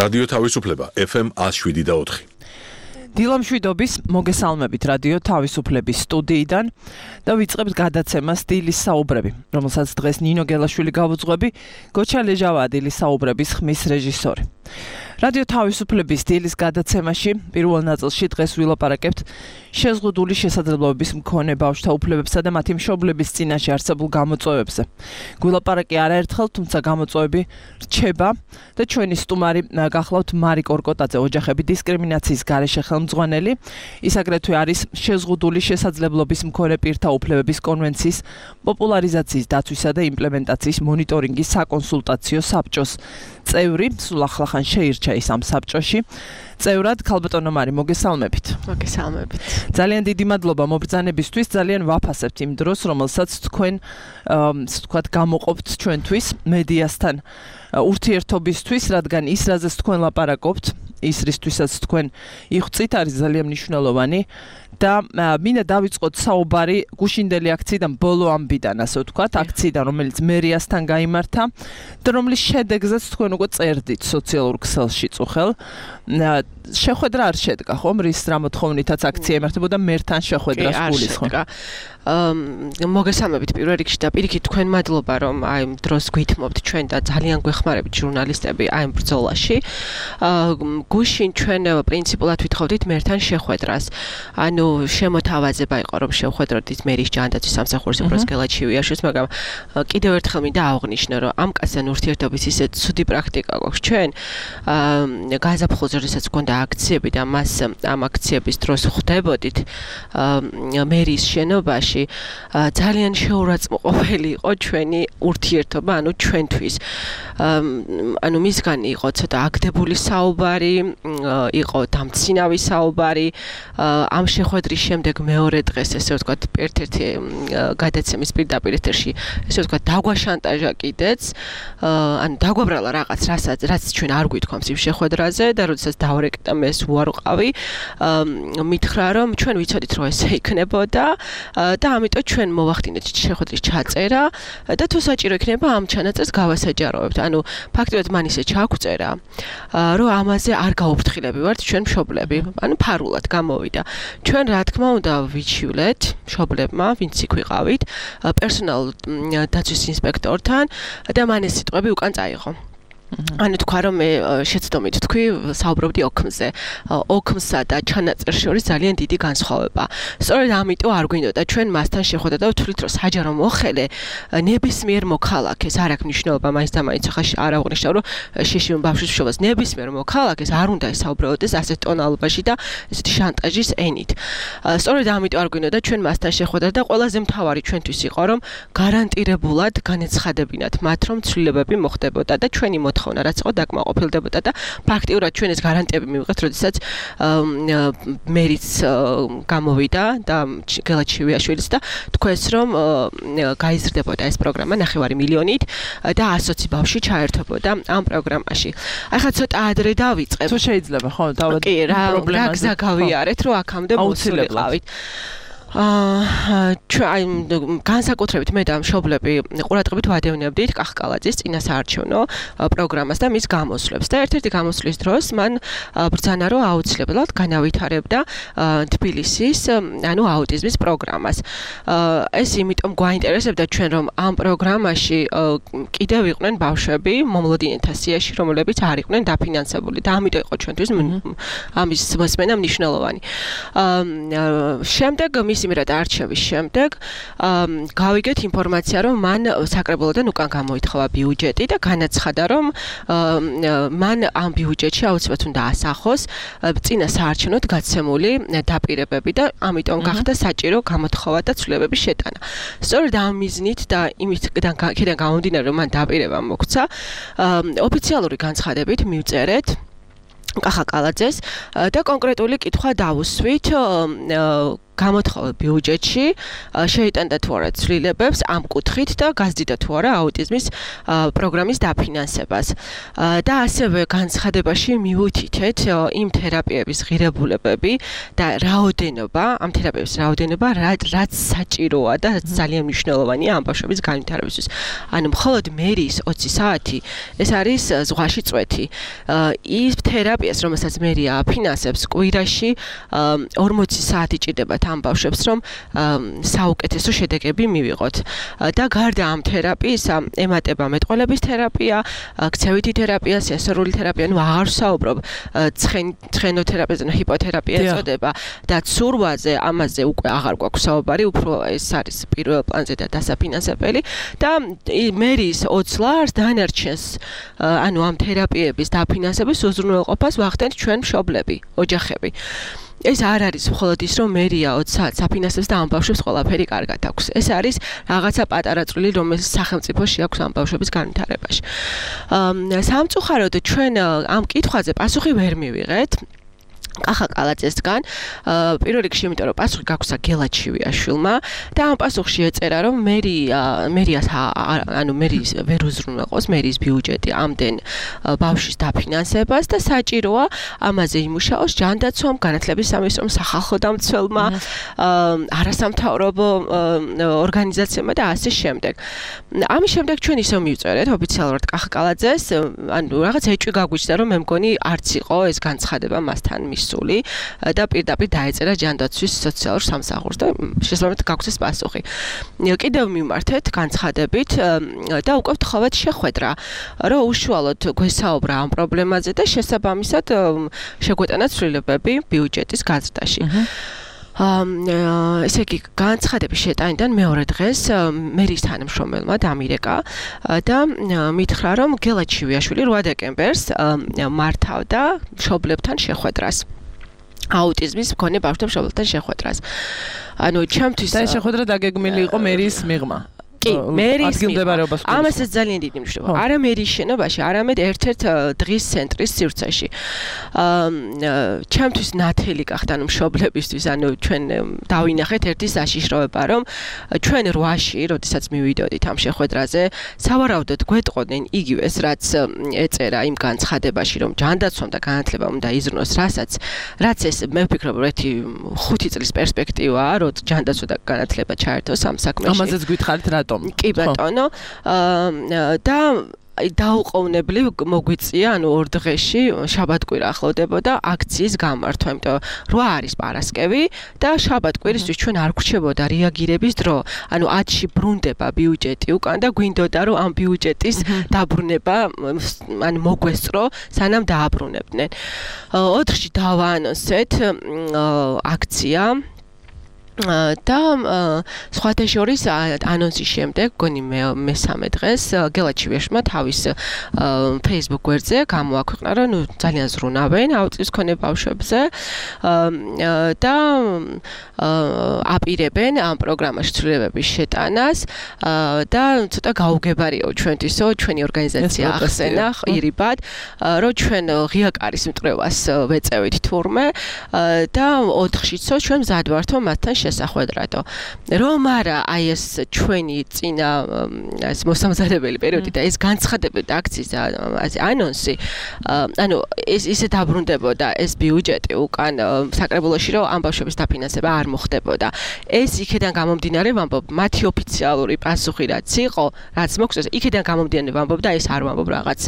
რადიო თავისუფლება FM 107.4. დილამშვიდობის მოგესალმებით რადიო თავისუფლების სტუდიიდან და ვიწყებთ გადაცემას სტილის საუბრები, რომელსაც დღეს ნინო გელაშვილი გავუძღვები, გოჩა ლეჟავადილის საუბრების ხმის რეჟისორი. რადიო თავისუფლების სტილის გადაცემაში პირველ ნაწილში დღეს ვილაპარაკებთ შეზღუდული შესაძლებლობების მქონე ბავშვთა უფლებებსა და მათი მშობლების წინაშე არსებულ გამოწვევებზე. გვილაპარაკი არაერთხელ, თუმცა გამოწვევები რჩება და ჩვენი სტუმარი გახლავთ მარი კორკოტაძე, ოჯახები დისკრიმინაციის გარეშე ხელმძღვანელი. ის აგრეთვე არის შეზღუდული შესაძლებლობის მქონე პირთა უფლებების კონვენციის პოპულარიზაციის დაცვისა და იმპლემენტაციის მონიტორინგის საკონსულტაციო საბჭოს წევრი. სულ ახლახან შეირჩა ის ამ საბჭოში. წევრად ქალბატონო მარი, მოგესალმებით. მოგესალმებით. ძალიან დიდი მადლობა მობრძანებისთვის, ძალიან ვაფასებთ იმ დროს, რომელსაც თქვენ ვთქვათ გამოყოფთ ჩვენთვის მედიასთან ურთიერთობისთვის, რადგან ის რაზეც თქვენ ლაპარაკობთ, ის რისთვისაც თქვენ იხვწით, არის ძალიან მნიშვნელოვანი და მინდა დავიწყოთ საუბარი გუშინდელი აქციიდან, ბოლო ამბიდან, ასე ვთქვათ, აქციიდან, რომელიც მერიასთან გაიმართა და რომლის შედეგზეც თქვენ უკვე წერდით სოციალურ ქსელში წუხელ. შეხვედრა არ შედგა, ხომ? რის რა მოთხოვნითაც აქცია იმართებოდა მერთან შეხვედრას გულისხმობ. მოგესალმებით პირველ რიგში და პირიქით თქვენ მადლობა რომ აი დროს გვითმობთ ჩვენ და ძალიან გვეხმარებით ჟურნალისტები აი ბრძოლაში. გუშინ ჩვენ პრინციპულად ვითხოვდით მერთან შეხვედრას. ანუ შემოთავაზება იყო რომ შევხვედროთ მერის ჯანდაცვის სამსახურის უფროს გელაჩივიაშვილს, მაგრამ კიდევ ერთხელ მინდა აღვნიშნო რომ ამ კაცთან ურთიერთობის ისეთ ცუდი პრაქტიკა გვაქვს ჩვენ. გაზაფხულზე როდესაც გქონდა აქციები და მას ამ აქციების დროს ხვდებოდით მერის შენობაში, ძალიან შეურაცხმყოფელი იყო ჩვენი ურთიერთობა, ანუ ჩვენთვის. ანუ მისგან იყო ცოტა აგდებული საუბარი, იყო დამცინავი საუბარი. ამ შეხვედრის შემდეგ მეორე დღეს, ესე ვთქვათ, ერთ-ერთი გადაცემის პირდაპირ ეთერში, ესე ვთქვათ, დაგვაშანტაჟა კიდეც, ანუ დაგვაბრალა რაღაც, რაც ჩვენ არ გვითქვამს იმ შეხვედრაზე და როდესაც დავარეკეთ და მე უარ ვყავი, მითხრა რომ ჩვენ ვიცოდით რომ ესე იქნებოდა და ამიტომ ჩვენ მოვახდინეთ შეხვედრის ჩაწერა და თუ საჭირო იქნება ამ ჩანაწერს გავასაჯაროებთ. ანუ ფაქტობრივად მან ისე ჩაგვწერა, რომ ამაზე არ გაუფრთხილები ვართ ჩვენ მშობლები, ანუ ფარულად გამოვიდა. ჩვენ რა თქმა უნდა ვიჩივლეთ მშობლებმა, ვინც იქ ვიყავით, პერსონალ დაცვის ინსპექტორთან და მან ეს სიტყვები უკან წაიღო. ანუ თქვა რომ მე შეცდომით თქვი საუბრობდი ოქმზე. ოქმსა და ჩანაწერს შორის ძალიან დიდი განსხვავება. სწორედ ამიტომ არ გვინდოდა ჩვენ მასთან შეხვედრა და ვთვლით რომ საჯარო მოხელე ნებისმიერ მოქალაქეს არ აქვს მნიშვნელობა მაინც და მაინც ახლა არ აღვნიშნავ რომ შეშიმ ბავშვის მშობელს ნებისმიერ მოქალაქეს არ უნდა ესაუბრებოდეს ასეთ ტონალობაში და ესეთი შანტაჟის ენით. სწორედ ამიტომ არ გვინდოდა ჩვენ მასთან შეხვედრა და ყველაზე მთავარი ჩვენთვის იყო რომ გარანტირებულად განეცხადებინათ მათ რომ ცვლილებები მოხდებოდა და ჩვენი რაც იყო დაკმაყოფილდებოდა და ფაქტიურად ჩვენ ეს გარანტიები მივიღეთ, როდესაც მერიც გამოვიდა და გელაჩივიაშვილიც და თქვენს რომ გაიზრდებოდა ეს პროგრამა 9 მილიონით და 120 ბავშვი ჩაერთვებოდა ამ პროგრამაში. ახლა ცოტა ადრე დავიწყებ. თუ შეიძლება, ხო, დავად რა გზა გავიარეთ, რომ აქამდე მოსულიყავით. განსაკუთრებით მე და მშობლები ყურადღებით ვადევნებდით კახკალაძის წინასაარჩევნო პროგრამას და მის გამოსვლებს და ერთ-ერთი გამოსვლის დროს მან ბრძანა რომ აუცილებლად განავითარებდა თბილისის ანუ აუტიზმის პროგრამას. ეს იმიტომ გვაინტერესებდა ჩვენ რომ ამ პროგრამაში კიდევ იყვნენ ბავშვები მომლოდინეთა სიაში, რომლებიც არ იყვნენ დაფინანსებული და ამიტომ იყო ჩვენთვის ამის მოსმენა მნიშვნელოვანი. შემდეგ იმრად არჩევის შემდეგ გავიგეთ ინფორმაცია რომ მან საკრებულოდან უკან გამოითხოვა ბიუჯეტი და განაცხადა რომ მან ამ ბიუჯეტში აუცილებლად უნდა ასახოს წინასაარჩევნოდ გაცემული დაპირებები და ამიტომ გახდა საჭირო გამოთხოვა და ცვლილებების შეტანა. სწორედ ამ მიზნით და იმისგან გამომდინარე რომ მან დაპირება მოგვცა, ოფიციალური განცხადებით მივწერეთ კახაკალაძეს და კონკრეტული კითხვა დავუსვით გამოთხოვა ბიუჯეტში შეიტანდა თუ არა ცვლილებებს ამ კუთხით და გაზრდიდა თუ არა აუტიზმის პროგრამის დაფინანსებას. და ასევე განცხადებაში მივუთითეთ იმ თერაპიების ღირებულებები და რაოდენობა, ამ თერაპიების რაოდენობა, რაც საჭიროა და რაც ძალიან მნიშვნელოვანია ამ ბავშვების განვითარებისთვის. ანუ მხოლოდ მერის 20 საათი ეს არის ზღვაში წვეთი. ის თერაპიას, რომელსაც მერია აფინანსებს, კვირაში 40 საათი ჭირდებათ ამ ბავშვებს, რომ საუკეთესო შედეგები მივიღოთ. და გარდა ამ თერაპიისა, ემატება მეტყველების თერაპია, ქცევითი თერაპია, სენსორული თერაპია, ну აღარ ვსაუბრობ ცხენოთერაპიაზე, ჰიპოთერაპია ეწოდება და ცურვაზე, ამაზე უკვე აღარ გვაქვს საუბარი, უფრო ეს არის პირველ პლანზე და დასაფინანსებელი და მერის 20 ლარს დანარჩენს, ანუ ამ თერაპიების დაფინანსების უზრუნველყოფას ვახდენთ ჩვენ მშობლები, ოჯახები. ეს არ არის მხოლოდ ის, რომ მერია 20 საათს აფინანსებს და ამ ბავშვებს ყველაფერი კარგად აქვს. ეს არის რაღაცა პატარა წვლილი, რომელიც სახელმწიფოში აქვს ამ ბავშვების განვითარებაში. სამწუხაროდ ჩვენ ამ კითხვაზე პასუხი ვერ მივიღეთ. კახა კალაძესგან პირველ რიგში, იმიტომ რომ პასუხი გაგვცა გელაჩივიაშვილმა და ამ პასუხში ეწერა, რომ მერიას ანუ მერის ვერ უზრუნველყოფს მერის ბიუჯეტი ამდენ ბავშვის დაფინანსებას და საჭიროა ამაზე იმუშაოს ჯანდაცვამ, განათლების სამინისტრომ, სახალხო დამცველმა, არასამთავრობო ორგანიზაციებმა და ასე შემდეგ. ამის შემდეგ ჩვენ ისევ მივწერეთ ოფიციალურად კახა კალაძეს, ანუ რაღაც ეჭვი გაგვიჩნდა, რომ მე მგონი არც იყო ეს განცხადება მასთან და პირდაპირ დაეწერა ჯანდაცვის სოციალურ სამსახურს და შესაბამისად გაგვცეს პასუხი. კიდევ მიმართეთ განცხადებით და უკვე ვთხოვეთ შეხვედრა, რომ უშუალოდ გვესაუბრა ამ პრობლემაზე და შესაბამისად შეგვეტანა ცვლილებები ბიუჯეტის გაზრდაში. ესე იგი განცხადების შეტანიდან მეორე დღეს მერის თანამშრომელმა დამირეკა და მითხრა, რომ გელაჩივიაშვილი 8 დეკემბერს მართავდა მშობლებთან შეხვედრას. აუტიზმის მქონე ბავშვთა მშობლებთან შეხვედრას. ანუ ჩემთვის და ეს შეხვედრა დაგეგმილი იყო მერის მიღმა. კი, მერის ამასაც ძალიან დიდი მნიშვნელობა. არა მერის შენობაში, არამედ ერთ-ერთ დღის ცენტრის სივრცეში. ჩემთვის ნათელი გახდა ანუ მშობლებისთვის, ანუ ჩვენ დავინახეთ ერთი საშიშროება, რომ ჩვენ 8-ში, როდესაც მივიდოდით ამ შეხვედრაზე, სავარაუდოდ გვეტყოდნენ იგივეს, რაც ეწერა იმ განცხადებაში, რომ ჯანდაცვამ და განათლებამ უნდა იზრუნოს, რაც ეს მე ვფიქრობ, რომ ერთი 5 წლის პერსპექტივაა, რომ ჯანდაცვა და განათლება ჩაერთოს ამ საქმეში. ამაზეც გითხარით რატომ? კი ბატონო, და დაუყოვნებლივ მოგვიწია, ანუ ორ დღეში შაბათკვირა ახლოვდებოდა აქციის გამართვა, იმიტომ 8 არის პარასკევი და შაბათკვირისთვის ჩვენ არ გვრჩებოდა რეაგირების დრო. ანუ 10-ში ბრუნდება ბიუჯეტი უკან და გვინდოდა, რომ ამ ბიუჯეტის დაბრუნება ანუ მოგვესწრო, სანამ დააბრუნებდნენ. 4-ში დავაანონსეთ აქცია და სხვათა შორის ანონსის შემდეგ, გონი მესამე დღეს გელაჩივიაშვილმა თავის Facebook გვერდზე გამოაქვეყნა, რომ ძალიან ზრუნავენ აუტიზმის მქონე ბავშვებზე და აპირებენ ამ პროგრამაში ცვლილებების შეტანას და ცოტა გაუგებარიო ჩვენთვისო, ჩვენი ორგანიზაცია ახსენა ირიბად, რომ ჩვენ ღიაკარის მტრევას ვეწევით თურმე და 4-შიცო ჩვენ მზად ვართ მათთან შესახვედრადო. რომ არა აი ეს ჩვენი წინა ეს მოსამზადებელი პერიოდი და ეს განცხადებები და აქციის ანონსი, ანუ ეს ისე დაბრუნდებოდა ეს ბიუჯეტი უკან საკრებულოში, რომ ამ ბავშვების დაფინანსება არ მოხდებოდა. ეს იქიდან გამომდინარე ვამბობ, მათი ოფიციალური პასუხი რაც იყო, რაც მოგვწეს, იქიდან გამომდინარე ვამბობ და ეს არ ვამბობ რაღაც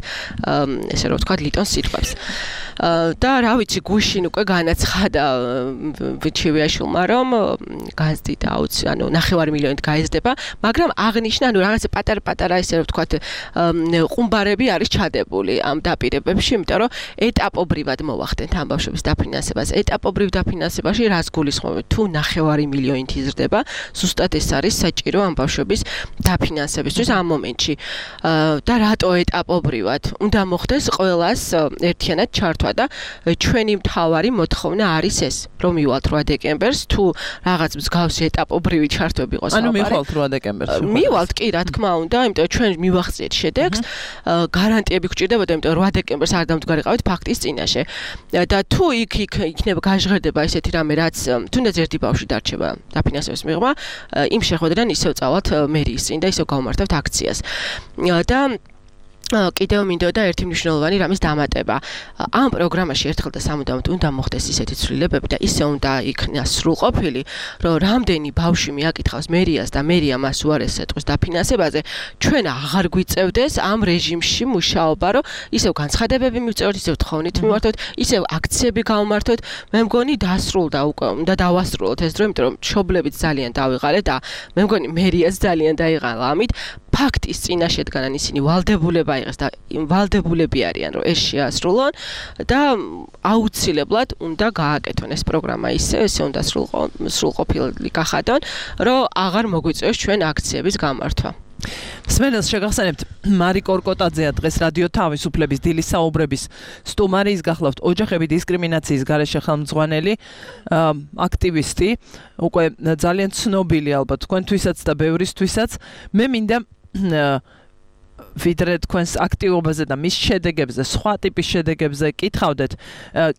ესე რომ ვთქვათ ლიტონ სიტყვებს. და რა ვიცი, გუშინ უკვე განაცხადა ჩივიაშვილმა, რომ გაზრდიდა ანუ 9 მილიონით გაიზრდება, მაგრამ აღნიშნა, ანუ რაღაცა პატარ-პატარა ესე რომ ვთქვათ ყუმბარები არის ჩადებული ამ დაპირებებში, იმიტომ რომ ეტაპობრივად მოვახდენთ ამ ბავშვების დაფინანსებას. ეტაპობრივ დაფინანსებაში რას გულისხმობთ? თუ 9 მილიონით იზრდება, ზუსტად ეს არის საჭირო ამ ბავშვების დაფინანსებისთვის ამ მომენტში. და რატო ეტაპობრივად? უნდა მოხდეს ყველას ერთიანად ჩართვა ჩართვა და ჩვენი მთავარი მოთხოვნა არის ეს, რომ მივალთ 8 დეკემბერს, თუ რაღაც მსგავსი ეტაპობრივი ჩართვები იყოს. ანუ მივალთ 8 დეკემბერს. მივალთ კი, რა თქმა უნდა, იმიტომ ჩვენ მივახციეთ შედეგს. გარანტიები გვჭირდებოდა, იმიტომ 8 დეკემბერს არ დამდგარიყავით ფაქტის წინაშე. და თუ იქ იქნება გაჟღერდება ესეთი რამე, რაც თუნდაც ერთი ბავშვი დარჩება დაფინანსების მიღმა, იმ შეხვედრიდან ისევ წავალთ მერიის წინ და ისევ გავმართებთ აქციას. და კიდევ მინდოდა ერთი მნიშვნელოვანი რამის დამატება. ამ პროგრამაში ერთხელ და სამუდამოდ უნდა მოხდეს ისეთი ცვლილებები და ისე უნდა იქნას სრულყოფილი, რომ რამდენი ბავშვი მიაკითხავს მერიას და მერია მას უარესს ეტყვის დაფინანსებაზე, ჩვენ აღარ გვიწევდეს ამ რეჟიმში მუშაობა, რომ ისევ განცხადებები მივწეროთ, ისევ თხოვნით მიმართოთ, ისევ აქციები გავმართოთ. მე მგონი დასრულდა უკვე, უნდა დავასრულოთ ეს დრო, იმიტომ რომ მშობლებიც ძალიან დავიღალეთ და მე მგონი მერიაც ძალიან დაიღალა ამით. ფაქტის წინაშე დგანან ისინი ვალდებულება იღეს და ვალდებულები არიან რომ ეს შეასრულონ და აუცილებლად უნდა გააკეთონ ეს პროგრამა ისე უნდა სრულყოფილი გახადონ რომ აღარ მოგვიწევს ჩვენ აქციების გამართვა. სმენელს შეგახსენებთ მარი კორკოტაძეა დღეს რადიო თავისუფლების დილის საუბრების სტუმარი, ის გახლავთ ოჯახები დისკრიმინაციის გარეშე ხელმძღვანელი აქტივისტი, უკვე ძალიან ცნობილი ალბათ თქვენთვისაც და ბევრისთვისაც. მე მინდა ვიდრე თქვენს აქტივობაზე და მის შედეგებზე, სხვა ტიპის შედეგებზე კითხავდეთ,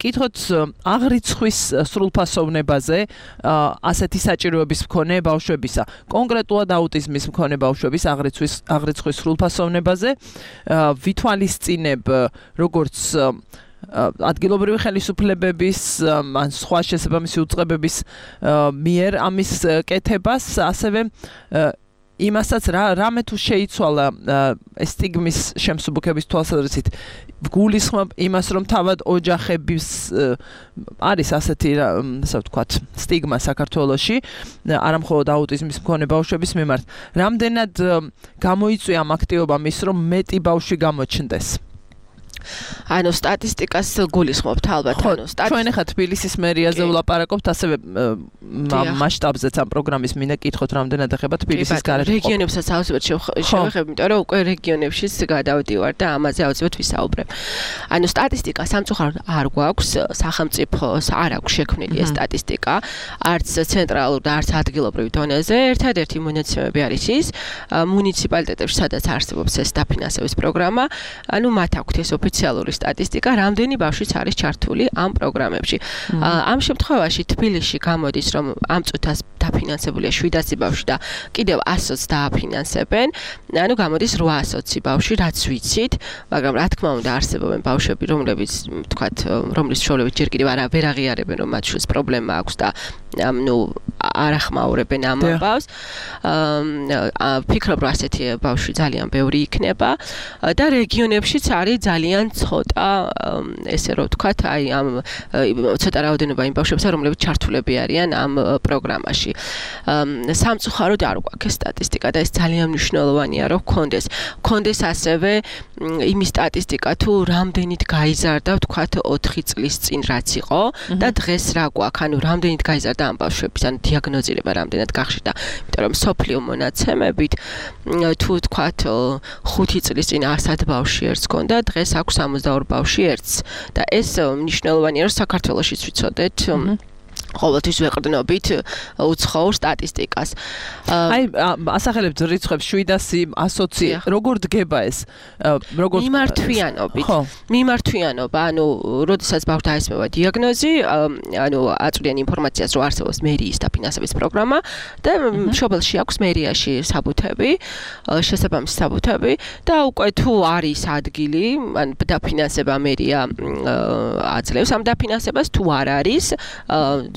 კითხოთ აღრიცხვის სრულფასოვნებაზე, ასეთი საჭიროების მქონე ბავშვებისა, კონკრეტულად აუტიზმის მქონე ბავშვების აღრიცხვის სრულფასოვნებაზე, ვითვალისწინებ როგორც ადგილობრივი ხელისუფლებების ან სხვა შესაბამისი უწყებების მიერ ამის კეთებას, ასევე იმასაც რამე თუ შეიცვალა სტიგმის შემსუბუქების თვალსაზრისით გულისხმობ იმას, რომ თავად ოჯახების არის ასეთი ასე ვთქვათ სტიგმა საქართველოში, არა მხოლოდ აუტიზმის მქონე ბავშვების მიმართ. რამდენად გამოიწვია ამ აქტივობამ ის, რომ მეტი ბავშვი გამოჩნდეს? ანუ სტატისტიკას გულისხმობთ ალბათ, ანუ ჩვენ ახლა თბილისის მერიაზე ვლაპარაკობთ, ასევე მასშტაბზეც ამ პროგრამის მინდა კითხოთ, რამდენად ეხება თბილისის გარეთ. რეგიონებსაც აუცილებლად შევეხებ, იმიტომ რომ უკვე რეგიონებშიც გადავდივარ და ამაზე აუცილებლად ვისაუბრებ. ანუ სტატისტიკა სამწუხაროდ არ გვაქვს, სახელმწიფოს არ აქვს შექმნილი ეს სტატისტიკა, არც ცენტრალურ და არც ადგილობრივ დონეზე. ერთადერთი მონაცემები არის ის, მუნიციპალიტეტებში, სადაც არსებობს ეს დაფინანსების პროგრამა, ანუ მათ აქვთ ეს ოფიციალური სტატისტიკა, რამდენი ბავშვიც არის ჩართული ამ პროგრამებში. ამ შემთხვევაში თბილისში გამოდის, რომ ამ წუთას დაფინანსებულია 700 ბავშვი და კიდევ 100-ს დააფინანსებენ. ანუ გამოდის 800 ბავშვი, რაც ვიცით, მაგრამ რა თქმა უნდა არსებობენ ბავშვები, რომლებიც, თქვათ, რომლის მშობლები ჯერ კიდევ ვერ აღიარებენ, რომ მათ შვილს პრობლემა აქვს და არ ახმაურებენ ამ ბავშვს. ფიქრობ, რომ ასეთი ბავშვი ძალიან ბევრი იქნება და რეგიონებშიც არის ძალიან ცოტა, ესე რომ ვთქვათ, აი ამ ცოტა რაოდენობა იმ ბავშვებისა, რომლებიც ჩართულები არიან ამ პროგრამაში. სამწუხაროდ არ გვაქვს სტატისტიკა და ეს ძალიან მნიშვნელოვანია, რომ გქონდეს ასევე იმის სტატისტიკა, თუ რამდენით გაიზარდა, ვთქვათ, 4 წლის წინ რაც იყო და დღეს რა გვაქვს, ანუ რამდენით გაიზარდა ამ ბავშვების, ანუ დიაგნოზირება რამდენად გახშირდა. იმიტომ რომ სოფლიო მონაცემებით თუ ვთქვათ 5 წლის წინ 100 ბავშვი ერთს ჰქონდა, დღეს აქვს 62 ბავშვი ერთს და ეს მნიშვნელოვანია, რომ საქართველოშიც ვიცოდეთ ყოველთვის ვეყრდნობით უცხოურ სტატისტიკას. აი, ასახელებთ რიცხვებს 700, 120, როგორ დგება ეს? როგორ მიმართვიანობა, ანუ როდესაც ბავშვს დაესმევა დიაგნოზი, ანუ აწვდიან ინფორმაციას, რომ არსებობს მერიის დაფინანსების პროგრამა და მშობელში აქვს მერიაში საბუთები, შესაბამისი საბუთები და უკვე თუ არის ადგილი, ან დაფინანსება მერია აძლევს ამ დაფინანსებას, თუ არ არის,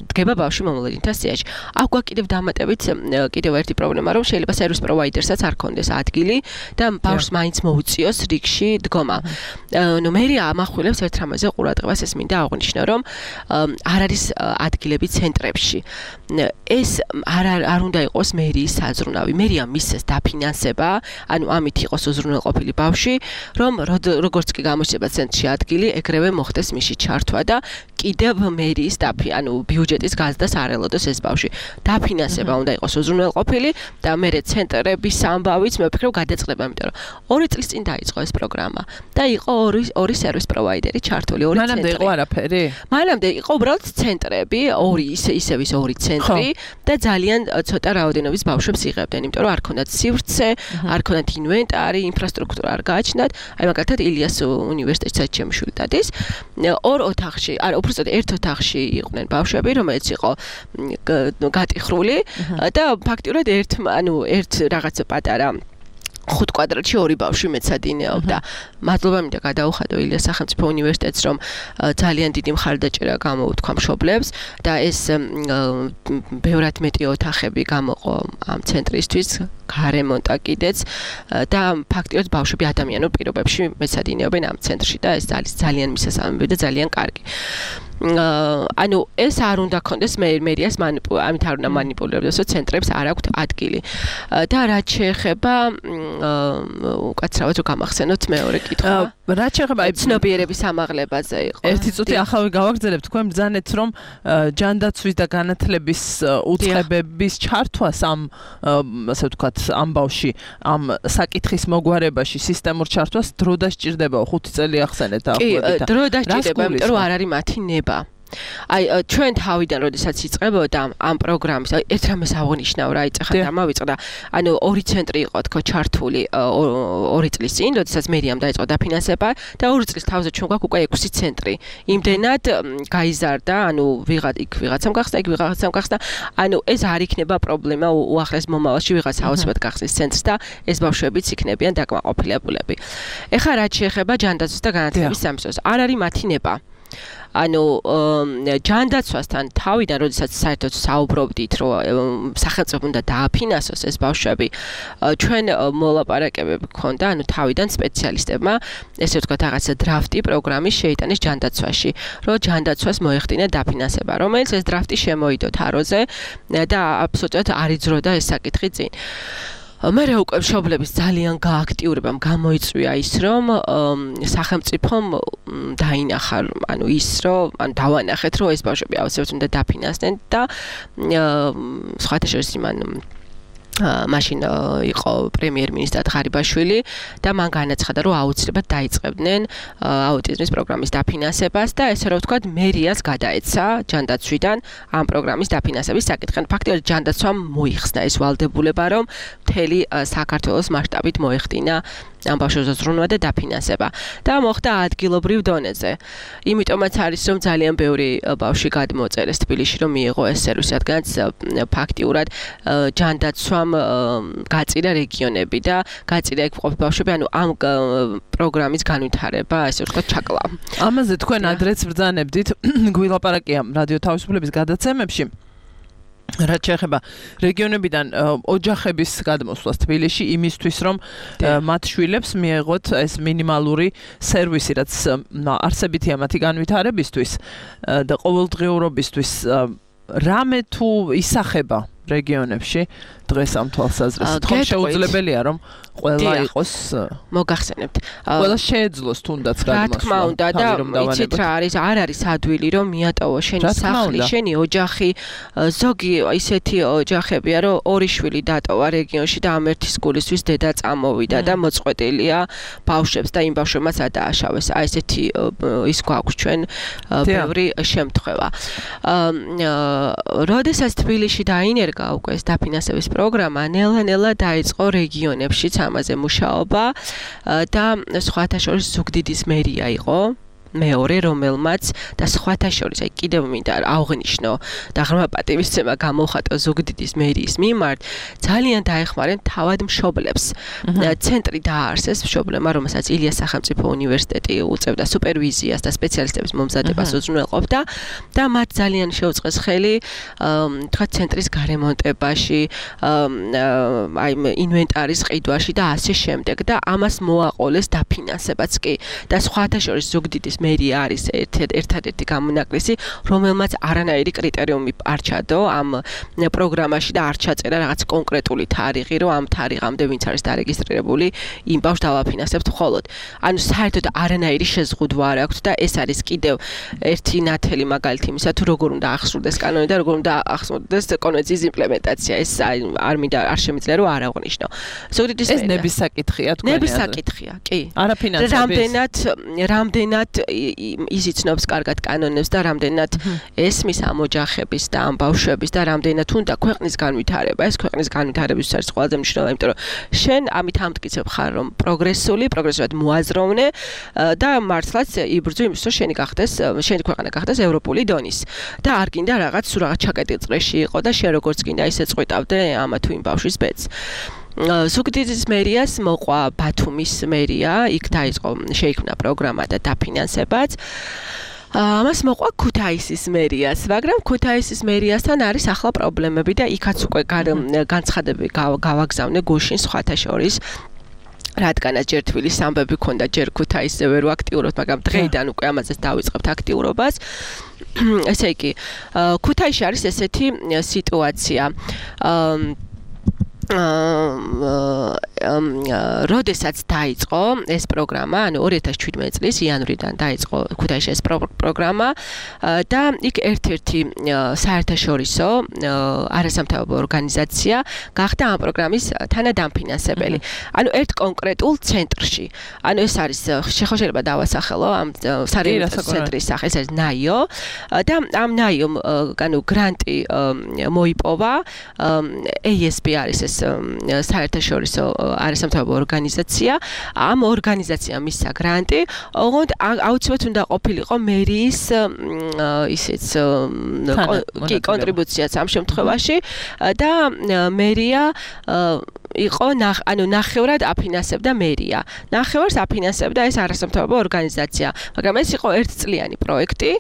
დგება ბავშვი მომლედინთა სიაში. აქ გვაქვს კიდევ დამატებით კიდევ ერთი პრობლემა, რომ შეიძლება სერვის პროვაიდერსაც არ ქონდეს ადგილი და ბავშვს მაინც მოუწიოს რიგში დგომა. მერია ამახვილებს ერთ რამაზე ყურადღებას, ეს მინდა აღვნიშნო, რომ არ არის ადგილები ცენტრებში. ეს არ უნდა იყოს მერიის საზრუნავი. მერია მისცეს დაფინანსება, ანუ ამით იყოს უზრუნველყოფილი ბავშვი, რომ როგორც კი გამოჩნდება ცენტრში ადგილი, ეგრევე მოხდეს მისი ჩართვა და კიდევ მერიის ანუ ბიუჯეტ უნივერსიტეტის გაზდას არ ელოდოს ეს ბავშვი. დაფინანსება უნდა იყოს უზრუნველყოფილი და მერე ცენტრების ამბავიც მე ვფიქრობ გადაწყდება, იმიტომ რომ 2 წლის წინ დაიწყო ეს პროგრამა და იყო ორი სერვის პროვაიდერი ჩართული, 2 ცენტრი. მანამდე იყო არაფერი? მანამდე იყო უბრალოდ ცენტრები, ისევის 2 ცენტრი და ძალიან ცოტა რაოდენობის ბავშვებს იღებდნენ, იმიტომ რომ არ ქონდათ სივრცე, არ ქონდათ ინვენტარი, ინფრასტრუქტურა არ გააჩნდათ. აი მაგალითად ილიას უნივერსიტეტსაც ჩემი შვილი დადის. 2 ოთახში, უბრალოდ 1 ოთახში იყვნენ ბავშვები, რომელიც იყო გატიხრული და ფაქტიურად ერთ რაღაც პატარა 5 კვადრატში 2 ბავშვი მეცადინეობდა. მადლობა მინდა გადაუხადო ილიას სახელმწიფო უნივერსიტეტს, რომ ძალიან დიდი მხარდაჭერა გამოუთქვა მშობლებს და ეს ბევრად მეტი ოთახები გამოყო ამ ცენტრისთვის, გარემონტა კიდეც და ფაქტიურად ბავშვები ადამიანურ პირობებში მეცადინეობენ ამ ცენტრში და ეს ძალიან მისასალმები და ძალიან კარგი. ანუ ეს არ უნდა კონდეს მერიას ამით არ უნდა მანიპულირებდეს, რომ ცენტრებს არ აქვთ ადგილი. და რაც შეეხება უკაცრავად რომ გამახსენოთ მეორე კითხვა. რაც შეეხება ცნობიერების ამაღლებაზე იყო. ერთი წუთი ახალ გავაგრძელებთ, თქვენ ბრძანეთ, რომ ჯანდაცვის და განათლების უწყებების ჩართვას ამ ასე ვთქვათ, ამ ბავში, ამ საკითხის მოგვარებაში სისტემურ ჩართვას დრო დასჭირდებაო, 5 წელი ახსენეთ დაახლოებით. კი, დრო დასჭირდება, იმიტომ რომ არ არის მათი ნება. აი ჩვენ თავიდან როდესაც იწყებოდა ამ პროგრამის ერთ რამეს აღნიშნავ რა იწახა დამავიწყდა ანუ 2 ცენტრი იყო თქო ჩართული 2 წლის წინ როდესაც მერიამ დაიწყო დაფინანსება და 2 წლის თავზე ჩვენ გვაქვს უკვე 6 ცენტრი იმდენად გაიზარდა ანუ ვიღაცამ გახსნა ანუ ეს არ იქნება პრობლემა უახლეს მომავალში ვიღაცა აუცილებლად გახსნის ცენტრს და ეს ბავშვებიც იქნებიან დაკმაყოფილებულები ეხლა რაც შეეხება ჯანდაცვის და განათლების სამსახურს არ არის მათი ნება ანუ ჯანდაცვასთან თავიდან როდესაც საერთოდ საუბრობდით რომ სახელმწიფო უნდა დააფინანსოს ეს ბავშვები ჩვენ მოლაპარაკებები გქონდა ანუ თავიდან სპეციალისტებმა ესე ვთქვათ რაღაცა დრაფტი პროგრამის შეიტანეს ჯანდაცვაში რომ ჯანდაცვას მოეხდინა დაფინანსება რომელიც ეს დრაფტი შემოიდო თაროზე და აბსოლუტურად არ იძროდა ეს საკითხი წინ მე უკვე მშობლების ძალიან გააქტიურებამ გამოიწვია ის რომ სახელმწიფომ დაინახა ანუ ის რომ ან დავანახეთ რომ ეს ბავშვები აუცილებლად უნდა დაფინანსდნენ და სხვათა შორის იმან მაშინ იყო პრემიერ-მინისტრად ღარიბაშვილი და მან განაცხადა რომ აუცილებლად დაიწყებდნენ აუტიზმის პროგრამის დაფინანსებას და ესე რომ ვთქვათ მერიას გადაეცა ჯანდაცვიდან ამ პროგრამის დაფინანსების საკითხი. ფაქტობრივად ჯანდაცვამ მოიხსნა ეს ვალდებულება რომ მთელი საქართველოს მასშტაბით მოეხდინა ამ ბავშვებს ზრუნვა და დაფინანსება და მოხდა ადგილობრივ დონეზე. იმიტომაც არის რომ ძალიან ბევრი ბავშვი გადმოწერეს თბილისში რომ მიიღო ეს სერვისი, რადგანაც ფაქტიურად ჯანდაცვამ გაწირა რეგიონები და გაწირა იქ მყოფი ბავშვები, ანუ ამ პროგრამის განვითარება, ასე ვთქვათ, ჩაკლა. ამაზე თქვენ ადრეც ბრძანებდით, გვილაპარაკია რადიო თავისუფლების გადაცემებში. რაც შეეხება რეგიონებიდან ოჯახების გადმოსვლას თბილისში იმისთვის რომ მათ შვილებს მიეღოთ ეს მინიმალური სერვისი რაც არსებითია მათი განვითარებისთვის და ყოველდღიურობისთვის რამე თუ ისახება რეგიონებში დღეს ამ თვალსაზრისით ხომ შეუძლებელია რომ ყველა იყოს მოგახსენებთ ყველა შეეძლოს თუნდაც გადმოსვლა რა თქმა უნდა და იცით რა არის არ არის ადვილი რომ მიატოვო შენი სახლი შენი ოჯახი ზოგი ისეთი ოჯახებია რომ 2 შვილი დატოვა რეგიონში და ამ ერთის გულისთვის დედა წამოვიდა და მოწყვეტილია ბავშვებს და იმ ბავშვებმაც ადააშავეს აი ესეთი ის გვაქვს ჩვენ ბევრი შემთხვევა როდესაც თბილისში დაინერგა უკვე ეს დაფინანსების პროგრამა ნელა-ნელა დაიწყო რეგიონებშიც ამაზე მუშაობა და სხვათა შორის ზუგდიდის მერია იყო მეორე რომელმაც და სხვათა შორის აი კიდევ მინდა აღნიშნო და ღრმა პატივისცემა გამოხატო ზუგდიდის მერიის მიმართ ძალიან დაეხმარნენ თავად მშობლებს ცენტრი დააარსეს მშობლებმა რომელსაც ილიას სახელმწიფო უნივერსიტეტი უწევდა სუპერვიზიას და სპეციალისტების მომზადებას უზრუნველყოფდა და მათ ძალიან შეუწყეს ხელი თქვა ცენტრის გარემონტებაში აი ინვენტარის ყიდვაში და ასე შემდეგ და ამას მოაყოლეს დაფინანსებაც კი და სხვათა შორის ზუგდიდის მერია არის ერთადერთი გამონაკლისი, რომელმაც არანაირი კრიტერიუმი არ ჩადო ამ პროგრამაში და არ ჩაწერა რაღაც კონკრეტული თარიღი, რომ ამ თარიღამდე ვინც არის დარეგისტრირებული, იმ ბავშვს დავაფინანსებთ მხოლოდ. ანუ საერთოდ არანაირი შეზღუდვა არ აქვს და ეს არის კიდევ ერთი ნათელი მაგალითი იმისა, თუ როგორ უნდა ახსოვდეს კანონი და როგორ უნდა ახსოვდეს კონვენციის იმპლემენტაცია. ეს არ მინდა არ შემიძლია რომ არ აღვნიშნო. ზოგადად ეს ნების საკითხია თქვენ. ნების საკითხია, კი. არაფინანსების. რამდენად იზიცნობს კარგად კანონებს და რამდენად ესმის ამ ოჯახების და ამ ბავშვების და რამდენად უნდა ქვეყნის განვითარება. ეს ქვეყნის განვითარებისთვის არის ყველაზე მნიშვნელოვანი, იმიტომ რომ შენ ამით ამტკიცებ ხარ, რომ პროგრესულად მოაზროვნე და მართლაც იბრძვი იმის, რომ შენი ქვეყანა გახდეს ევროპული დონის. და არ გინდა რაღაც ჩაკეტილ წრეში იყო და შენ როგორც გინდა ისე წყვიტავდე ამა თუ იმ ბავშვის ბედს. ზუგდიდის მერიას მოყვა ბათუმის მერია, იქ შეიქმნა პროგრამა და დაფინანსებაც. ამას მოყვა ქუთაისის მერიას, მაგრამ ქუთაისის მერიასთან არის ახლა პრობლემები და იქაც უკვე განცხადები გავაგზავნე გუშინ სხვათა შორის. რადგანაც ჯერ თბილის ამბები ქონდა, ჯერ ქუთაისზე ვერ ვაქტიურობთ, მაგრამ დღეიდან უკვე ამაზეც დავიწყებთ აქტიურობას. ესე იგი, ქუთაისში არის ესეთი სიტუაცია. როდესაც დაიწყო ეს პროგრამა, ანუ 2017 წლის იანვრიდან დაიწყო ქუთაისში ეს პროგრამა და იქ ერთ-ერთი საერთაშორისო არასამთავრობო ორგანიზაცია გახდა ამ პროგრამის თანადამფინანსებელი. ანუ ერთ კონკრეტულ ცენტრში. ანუ ეს არის შეიძლება დავასახელო ამ სარეიმიტაციო ცენტრის სახე, ეს არის ნაიო და ამ ნაიომ ანუ გრანტი მოიპოვა ASB არის ეს საერთაშორისო არასამთავრობო ორგანიზაცია. ამ ორგანიზაციამ მისცა გრანტი, ოღონდ აუცილებლად უნდა ყოფილიყო მერიის ისეც კონტრიბუციაც ამ შემთხვევაში და მერია იყო ანუ ნახევრად აფინანსებდა მერია. ნახევარს აფინანსებდა ეს არასამთავრობო ორგანიზაცია, მაგრამ ეს იყო ერთწლიანი პროექტი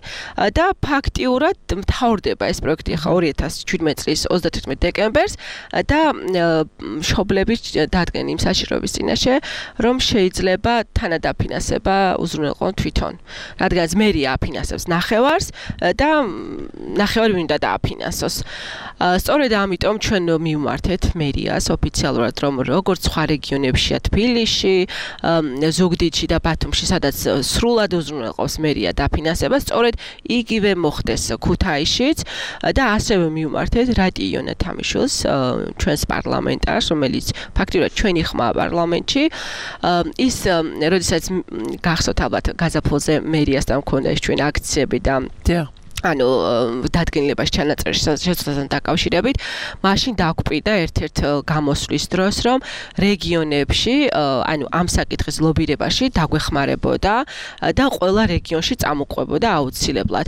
და ფაქტიურად მთავრდება ეს პროექტი ახლა 2017 წლის 31 დეკემბერს და მშობლები დადგენ იმ საშიშროების წინაშე, რომ შეიძლება თანადაფინანსება უზრუნველყონ თვითონ. რადგანაც მერია აფინანსებს ნახევარს და ნახევარი მინდა დააფინანსოს. სწორედ ამიტომ ჩვენ მივმართეთ მერიას ოფიციალურად, რომ როგორც სხვა რეგიონებშია თბილისში, ზუგდიდში და ბათუმში, სადაც სრულად უზრუნველყოფს მერია დაფინანსება, სწორედ იგივე მოხდეს ქუთაისშიც და ასევე მივმართეთ რატი იონა თამიშვილს, ჩვენს პარლამენტარს, რომელიც ფაქტიურად ჩვენი ხმაა პარლამენტში. ის როდესაც გახსოვთ ალბათ გაზაფხულზე მერიასთან მქონდა ეს ჩვენი აქციები და ანუ დადგენილებას ჩანაწერში შეცვლასთან დაკავშირებით, მაშინ დაგვყიდა ერთ-ერთ გამოსვლის დროს, რომ რეგიონებში, ანუ ამ საკითხის ლობირებაში დაგვეხმარებოდა და ყველა რეგიონში წამოყვებოდა აუცილებლად.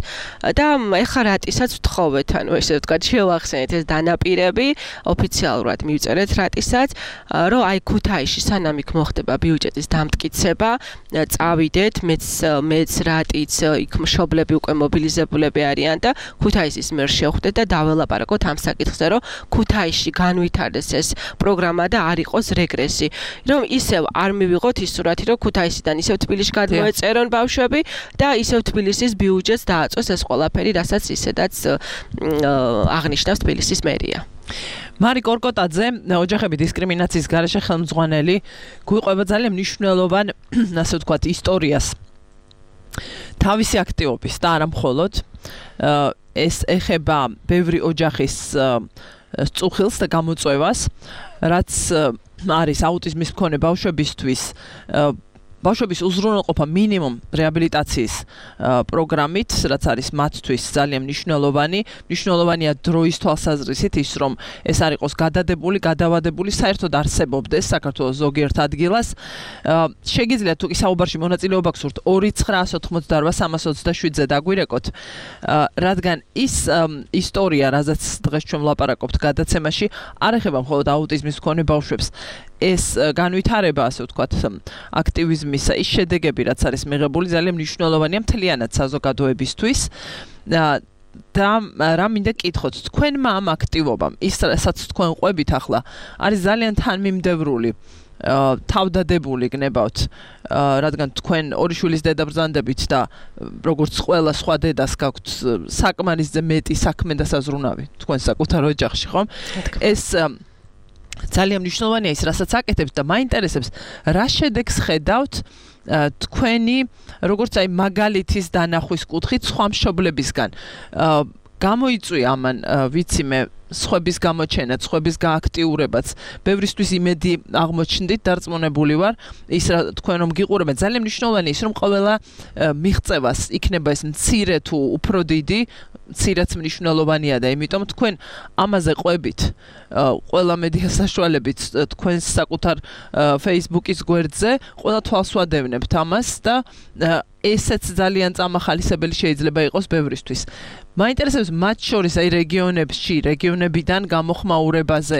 და ეხლა რატისაც ვთხოვეთ, ანუ ესე ვთქვათ, შევახსენეთ ეს დანაპირები, ოფიციალურად მივწერეთ რატისაც, რომ აი ქუთაისში სანამ იქ მოხდება ბიუჯეტის დამტკიცება, წავიდეთ, მეც რატიც იქ მშობლები უკვე მობილიზებულები არიან და ქუთაისის მერს შევხვდეთ და დაველაპარაკოთ ამ საკითხზე, რომ ქუთაისში განვითარდეს ეს პროგრამა და არ იყოს რეგრესი, რომ ისევ არ მივიღოთ ის სურათი, რომ ქუთაისიდან ისევ თბილისში გადმოეწერონ ბავშვები და ისევ თბილისის ბიუჯეტს დააწოს ეს ყველაფერი, რასაც ისედაც აღნიშნავს თბილისის მერია. მარი კორკოტაძე, ოჯახები დისკრიმინაციის გარეშე ხელმძღვანელი, გვიყვება ძალიან მნიშვნელოვან, ასე ვთქვათ, ისტორიას. თავისი აქტივობის და არა მხოლოდ ეს ეხება ბევრი ოჯახის წუხილს და გამოწვევას, რაც არის აუტიზმის მქონე ბავშვებისთვის ბავშვების უზრუნველყოფა მინიმუმ რეაბილიტაციის პროგრამით, რაც არის მათთვის ძალიან მნიშვნელოვანია დროის თვალსაზრისით ის, რომ ეს არ იყოს გადადებული, გადავადებული, საერთოდ არსებობდეს საქართველოს ზოგიერთ ადგილას. შეგიძლიათ თუ კი საუბარში მონაწილეობა გსურთ 2988327-ზე დაგვირეკოთ, რადგან ის ისტორია, რაზეც დღეს ჩვენ ვლაპარაკობთ გადაცემაში, არ ეხება მხოლოდ აუტიზმის მქონე ბავშვებს. ეს განვითარება, ასე ვთქვათ, აქტივიზმის ის შედეგები, რაც არის მიღებული, ძალიან მნიშვნელოვანია მთლიანად საზოგადოებისთვის. და რა მინდა კითხოთ, თქვენმა ამ აქტივობამ, ისაც თქვენ ყვებით ახლა, არის ძალიან თანმიმდევრული თავდადებული გნებავთ რადგან თქვენ ორი შვილის დედა ბრძანდებით და როგორც ყველა სხვა დედას გაქვთ საკმარისზე მეტი საქმე და საზრუნავი თქვენ საკუთარ ოჯახში ხომ ეს ძალიან მნიშვნელოვანია ის რასაც აკეთებთ და მაინტერესებს რა შედეგს ხედავთ თქვენი როგორც აი მაგალითის დანახვის კუთხით სხვა მშობლებისგან გამოიწვია ამან ვიცი მე სხვების გამოჩენა, სხვების გააქტიურებაც, ბევრისთვის იმედი აღმოჩნდით, დარწმუნებული ვარ, ის რა თქვენ რომ გიყურებთ, ძალიან მნიშვნელოვანია ის რომ ყველა მიღწევას იქნება ეს მცირე თუ უფრო დიდი, მცირეც მნიშვნელოვანია და იმიტომ თქვენ ამაზე ყვებით, ყველა მედია საშუალებით თქვენს საკუთარ Facebook-ის გვერდზე, ყველა თვალს ვადევნებთ ამას და ესეც ძალიან წამახალისებელი შეიძლება იყოს ბევრისთვის. მაინტერესებს მათ შორის აი რეგიონებიდან გამოხმაურებაზე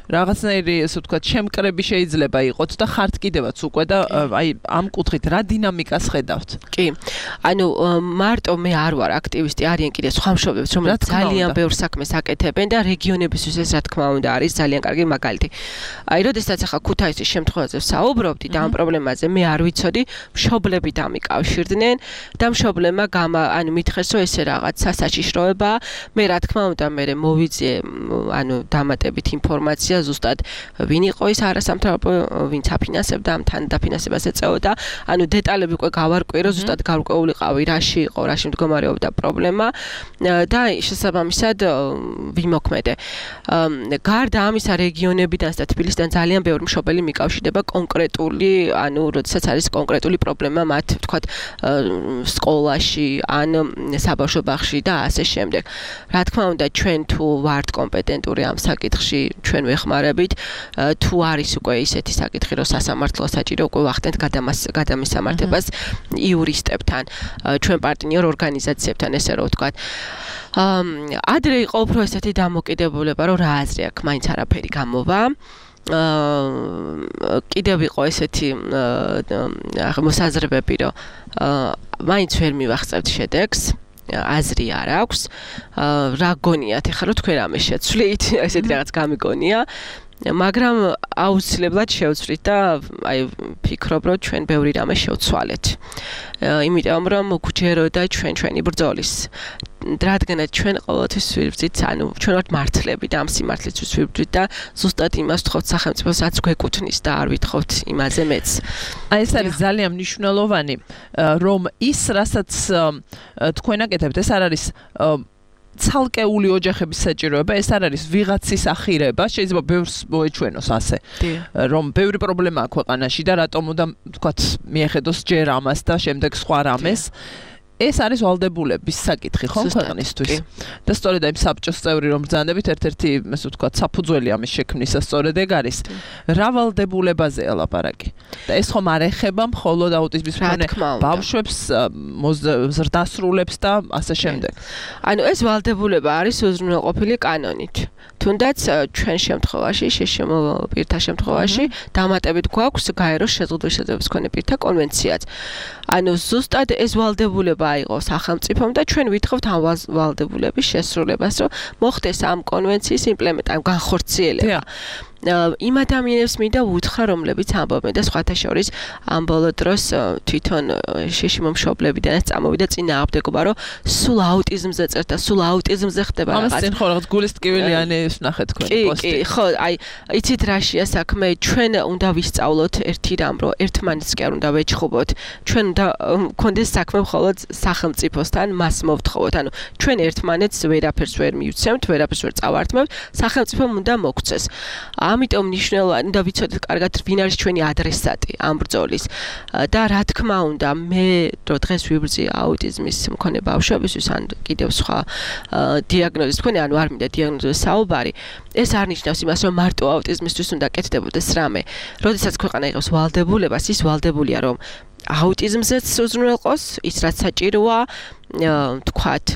რაღაცნაირი ესე ვთქვათ შემკრები შეიძლება იყოს და ხართ კიდევაც უკვე და აი ამ კუთხით რა დინამიკას ხედავთ? კი. ანუ მარტო მე არ ვარ აქტივისტი, არიან კიდე სხვა მშობლებიც რომელიც ძალიან ბევრ საქმეს აკეთებენ და რეგიონებისთვის ეს რა თქმა უნდა არის ძალიან კარგი მაგალითი. აი როდესაც ახლა ქუთაისის შემთხვევაზე ვსაუბრობდი და ამ პრობლემაზე მე არ ვიცოდი, მშობლები დამიკავშირდნენ და მშობლებმა ანუ მითხეს რომ ესე რაღაც სასაჩიშროება მე რა თქმა უნდა მე მოვიძიე ანუ დამატებით ინფორმაცია ზუსტად ვინ იყო ის არასამთავრობო ვინც აფინანსებდა ამ თან დაფინანსებას ეწეოდა ანუ დეტალები უკვე გავარკვირო ზუსტად გარკვეულიყავი რაში იყო რაში მდგომარეობდა პრობლემა და შესაბამისად ვიმოქმედე გარდა ამისა რეგიონებიდან და თბილისიდან ძალიან ბევრი მშობელი მიკავშირდება კონკრეტული ანუ როდესაც არის კონკრეტული პრობლემა მათ ვთქვათ სკოლაში ან საბავშვო ბაღში და ასე შემდეგ. რა თქმა უნდა, ჩვენ თუ ვართ კომპეტენტური ამ საკითხში, ჩვენ ვეხმარებით, თუ არის უკვე ისეთი საკითხი, რომ სასამართლო საჭირო უკვე ვახდენთ გადამისამართებას იურისტებთან, ჩვენ პარტნიორ ორგანიზაციებთან, ესე რომ ვთქვათ. ადრე იყო უფრო ესეთი დამოკიდებულება, რომ რა აზრი აქვს, მაინც არაფერი გამოვა. კიდევ იყო ესეთი მოსაზრებები, რომ მაინც ვერ მივახცევთ შედეგს. აზრი არ აქვს. რა გონიათ ახლა რომ თქვენ რამე შეცვლით, ესეთი რაღაც გამიგონია. მაგრამ აუცილებლად შევცვლით და აი ფიქრობ რომ ჩვენ ბევრი რამე შევცვალეთ. იმიტომ რომ გვჯეროდა ჩვენი ბრძოლის. რადგანაც ჩვენ ყოველთვის ვიბრძვით, ანუ ჩვენ ვართ მართლები და ამ სიმართლისთვის ვიბრძვით და ზუსტად იმას ვთხოვთ სახელმწიფოსაც გვეკუთვნის და არ ვითხოვთ იმაზე მეც. აი ეს არის ძალიან მნიშვნელოვანი, რომ ის რასაც თქვენ აკეთებთ, ეს არ არის ცალკეული ოჯახების საჭიროება, ეს არ არის ვიღაცის ახირება, შეიძლება ბევრს მოეჩვენოს ასე. რომ ბევრი პრობლემა აქვს ქვეყანაში და რატომ უნდა ვთქვათ მიეხედოს ჯერ ამას და შემდეგ სხვა რამეს. ეს არის ვალდებულების საკითხი ხო ქვეყნისთვის. და სწორედ აი საბჭოს წევრი რომ ბრძანდებით ერთ-ერთი ასე ვთქვათ საფუძველი ამის შექმნისა სწორედ ეგ არის. რა ვალდებულებაზეა ლაპარაკი? და ეს ხომ არ ეხება მხოლოდ აუტიზმის მქონე ბავშვებს, ზრდასრულებს და ასე შემდეგ. ანუ ეს ვალდებულება არის უზრუნველყოფილი კანონით. თუნდაც ჩვენ შემთხვევაში, შეშემო პირთა შემთხვევაში დამატებით გვაქვს გაეროს შეზღუდული შეძლებლობის მქონე პირთა კონვენციაც. ანუ ზუსტად ეს ვალდებულება აიღო სახელმწიფომ და ჩვენ ვითხოვთ ამ ვალდებულების შესრულებას, რომ მოხდეს ამ კონვენციის იმპლემენტაცია, განხორციელება. იმ ადამიანებს მინდა უთხრა, რომლებიც ამბობენ და სხვათა შორის ამ ბოლო დროს თვითონ შეშიმო მშობლებიდანაც წამოვიდა წინააღმდეგობა, რომ სულ აუტიზმზე წერთ და სულ აუტიზმზე ხდება რაღაც. ამას წინ ხო რაღაც გულის ტკივილიანი ვნახეთ თქვენი პოსტი. კი, ხო, აი, იცით რაშია საქმე, ჩვენ უნდა ვისწავლოთ ერთი რამ, რომ ერთმანეთს კი არ უნდა ვეჩხუბოთ. ჩვენ უნდა გქონდეს საქმე მხოლოდ სახელმწიფოსთან, მას მოვთხოვოთ. ანუ ჩვენ ერთმანეთს ვერაფერს ვერ მივცემთ, ვერაფერს ვერ წავართმევთ, სახელმწიფომ უნდა მოგცეს. ამიტომ მნიშვნელოვანი და ვიცოდეთ კარგად ვინ არის ჩვენი ადრესატი ამ ბრძოლის და რა თქმა უნდა მე რო დღეს ვიბრძვი აუტიზმის მქონე ბავშვებისთვის ან კიდევ სხვა დიაგნოზის მქონე ანუ არ მინდა დიაგნოზის საუბარი ეს არ ნიშნავს იმას რომ მარტო აუტიზმისთვის უნდა კეთდებოდეს რამე როდესაც ქვეყანა იღებს ვალდებულებას ის ვალდებულია რომ აუტიზმზეც უზრუნველყოს ის რაც საჭიროა თქვათ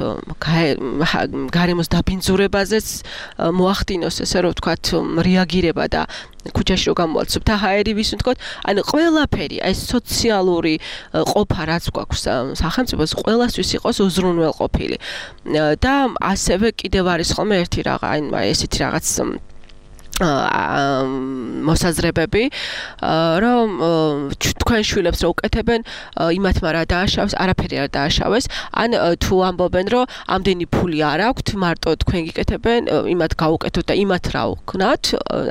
გარემოს დაბინძურებაზეც მოახდინოს ესე რომ თქვათ რეაგირება და ქუჩაში რო გამოვალცობთ ჰაერი ვის ვთქვათ ანუ ყველაფერი აი სოციალური ყოფა რაც გვაქვს სახელმწიფოს ყველასთვის იყოს უზრუნველყოფილი და ასევე კიდევ არის ხოლმე ერთი რაღაც აი ესეთი რაღაც მოსაზრებები რომ თქვენ შვილებს რო უკეთებენ იმათმა რა დააშავეს არაფერი არ დააშავეს ან თუ ამბობენ რომ ამდენი ფული არ აქვთ მარტო თქვენ გიკეთებენ იმათ გაუკეთოთ და იმათ რა ვქნათ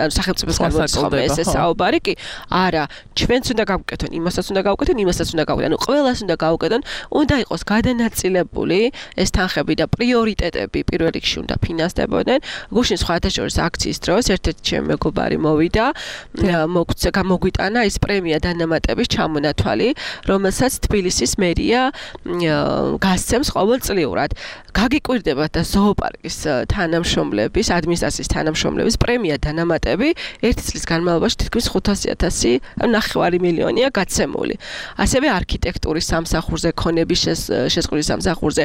ანუ სახელმწიფოს გამოცხადდა ეს საუბარი კი არა ჩვენც უნდა გავუკეთონ იმასაც უნდა გავუკეთონ იმასაც უნდა გავუკეთონ ანუ ყველას უნდა გავუკეთონ უნდა იყოს გადანაწილებული ეს თანხები და პრიორიტეტები პირველ რიგში უნდა ფინანსდებოდნენ გუშინ სხვათა შორის აქციის დროს ერთ-ერთი ჩემი მეგობარი მოვიდა მოგვიტანა ის პრემია დანამატების ჩამონათვალი რომელსაც თბილისის მერია გასცემს ყოველწლიურად გაგიკვირდებათ და ზოოპარკის თანამშრომლების ადმინისტრაციის თანამშრომლების პრემია დანამატები ერთი წლის განმავლობაში თითქმის 500,000 9 მილიონია გაცემული ასევე არქიტექტურის სამსახურზე ქონების შესწავლის სამსახურზე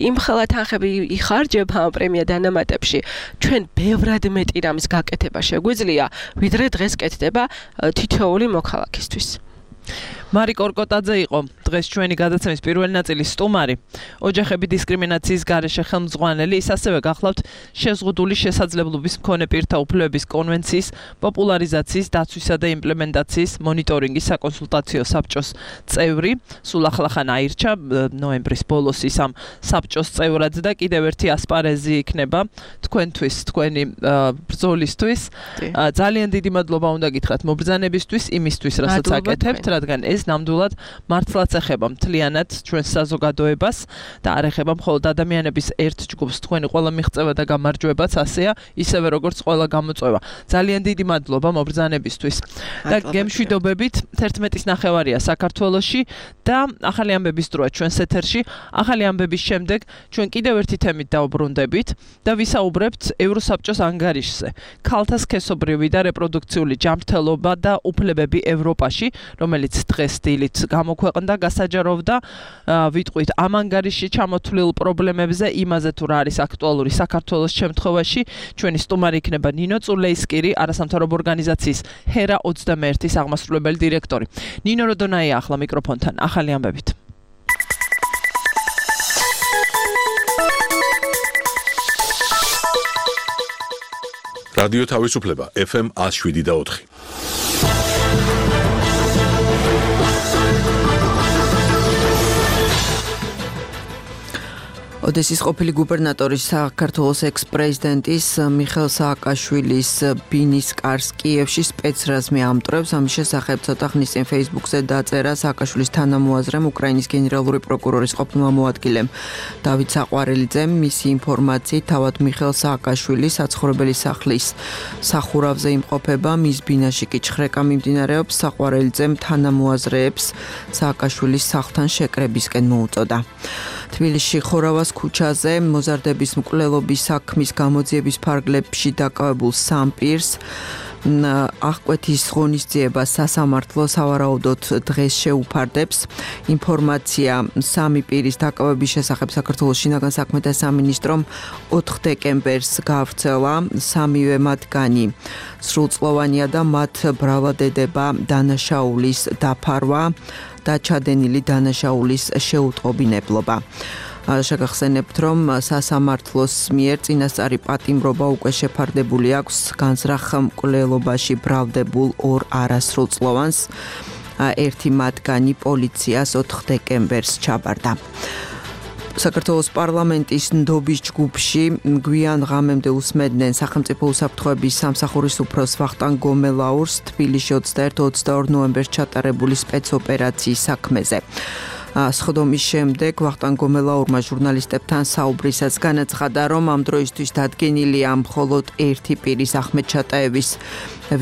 იმხელა თანხები იხარჯება პრემია დანამატებში ჩვენ ბევრად მეტი რამის გაკეთება შეგვიძლია ვიდრე დღეს კეთდება თითოეული მოქალაქისთვის მარი კორკოტაძე იყო დღეს ჩვენი გადაცემის პირველი ნაწილის სტუმარი ოჯახები დისკრიმინაციის გარეშე ხელმძღვანელი ის ასევე გახლავთ შეზღუდული შესაძლებლობის მქონე პირთა უფლებების კონვენციის პოპულარიზაციის დაცვისა და იმპლემენტაციის მონიტორინგის საკონსულტაციო საბჭოს წევრი სულ ახლახან აირჩა ნოემბრის ბოლოს ის ამ საბჭოს წევრად და კიდევ ერთი ასპარეზი იქნება თქვენთვის თქვენი ბრძოლისთვის ძალიან დიდი მადლობა უნდა გითხრათ მობრძანებისთვის იმისთვის რასაც აკეთებთ რადგან ეს ნამდვილად მართლაც ეხება მთლიანად ჩვენს საზოგადოებას და არ ეხება მხოლოდ ადამიანების ერთ ჯგუფს თქვენი ყველა მიღწევა და გამარჯვებაც ასეა ისევე როგორც ყველა გამოწვევა ძალიან დიდი მადლობა მობრძანებისთვის და გემშვიდობებით 11:09 საქართველოში და ახალი ამბების დროა ჩვენს ეთერში ახალი ამბების შემდეგ ჩვენ კიდევ ერთი თემით დავბრუნდებით და ვისაუბრებთ ევროსაბჭოს ანგარიშზე ქალთა სქესობრივი და რეპროდუქციული ჯანმრთელობა და უფლებები ევროპაში რომელიც დღეს დილით გამოქვეყნდა გასაჯაროვდა ვიტყვით ამ ანგარიშში ჩამოთვლილ პრობლემებზე იმაზე თუ რა არის აქტუალური საქართველოს შემთხვევაში ჩვენი სტუმარი იქნება ნინო წულეისკირი არასამთავრობო ორგანიზაციის ჰერა 21-ის აღმასრულებელი დირექტორი ნინო როდონაია ახლა მიკროფონთან ახალი ამბებით რადიო თავისუფლება FM 107.4 ოდესის ყოფილი გუბერნატორის საქართველოს ექს-პრეზიდენტის მიხეილ სააკაშვილის ბინის კარს კიევში სპეცრაზმი ამტვრევს ამის შესახებ ცოტა ხნის წინ Facebook-ზე დაწერა სააკაშვილის თანამოაზრემ უკრაინის გენერალური პროკურორის ყოფილმა მოადგილემ დავით საყვარელიძემ მისი ინფორმაციით თავად მიხეილ სააკაშვილი საცხოვრებელი სახლის სახურავზე იმყოფება მის ბინაში კი ჩხრეკა მიმდინარეობს საყვარელიძემ თანამოაზრეებს სააკაშვილის სახლთან შეკრებისკენ მოუწოდა თბილისში ხორავას ქუჩაზე მოზარდების მკვლელობის საქმის გამოძიების ფარგლებში დაკავებულ სამ პირს აღკვეთის ღონისძიება სასამართლო სავარაუდოდ დღეს შეუფარდებს ინფორმაცია სამი პირის დაკავების შესახებ საქართველოს შინაგან საქმეთა სამინისტრომ 4 დეკემბერს გაავრცელა სამივე მათგანი სრულწლოვანია და მათ ბრალად ედება დანაშაულის დაფარვა და ჩადენილი დანაშაულის შეუტყობინებლობა შეგახსენებთ რომ სასამართლოს მიერ წინასწარი პატიმრობა უკვე შეფარდებული აქვს განზრახ მკვლელობაში ბრალდებულ 2 არასრულწლოვანს ერთი მათგანი პოლიციას 4 დეკემბერს ჩაბარდა საქართველოს პარლამენტის ნდობის ჯგუფში გვიან ღამემდე უსმენდნენ სახელმწიფო უსაფრთხოების სამსახურის უფროს ვახტანგ გომელაურს თბილისში 21-22 ნოემბერს ჩატარებული სპეცოპერაციის საქმეზე სხდომის შემდეგ ვახტანგ გომელაურმა ჟურნალისტებთან საუბრისას განაცხადა რომ ამ დროისთვის დადგენილია მხოლოდ ერთი პირის ახმედ ჩატაევის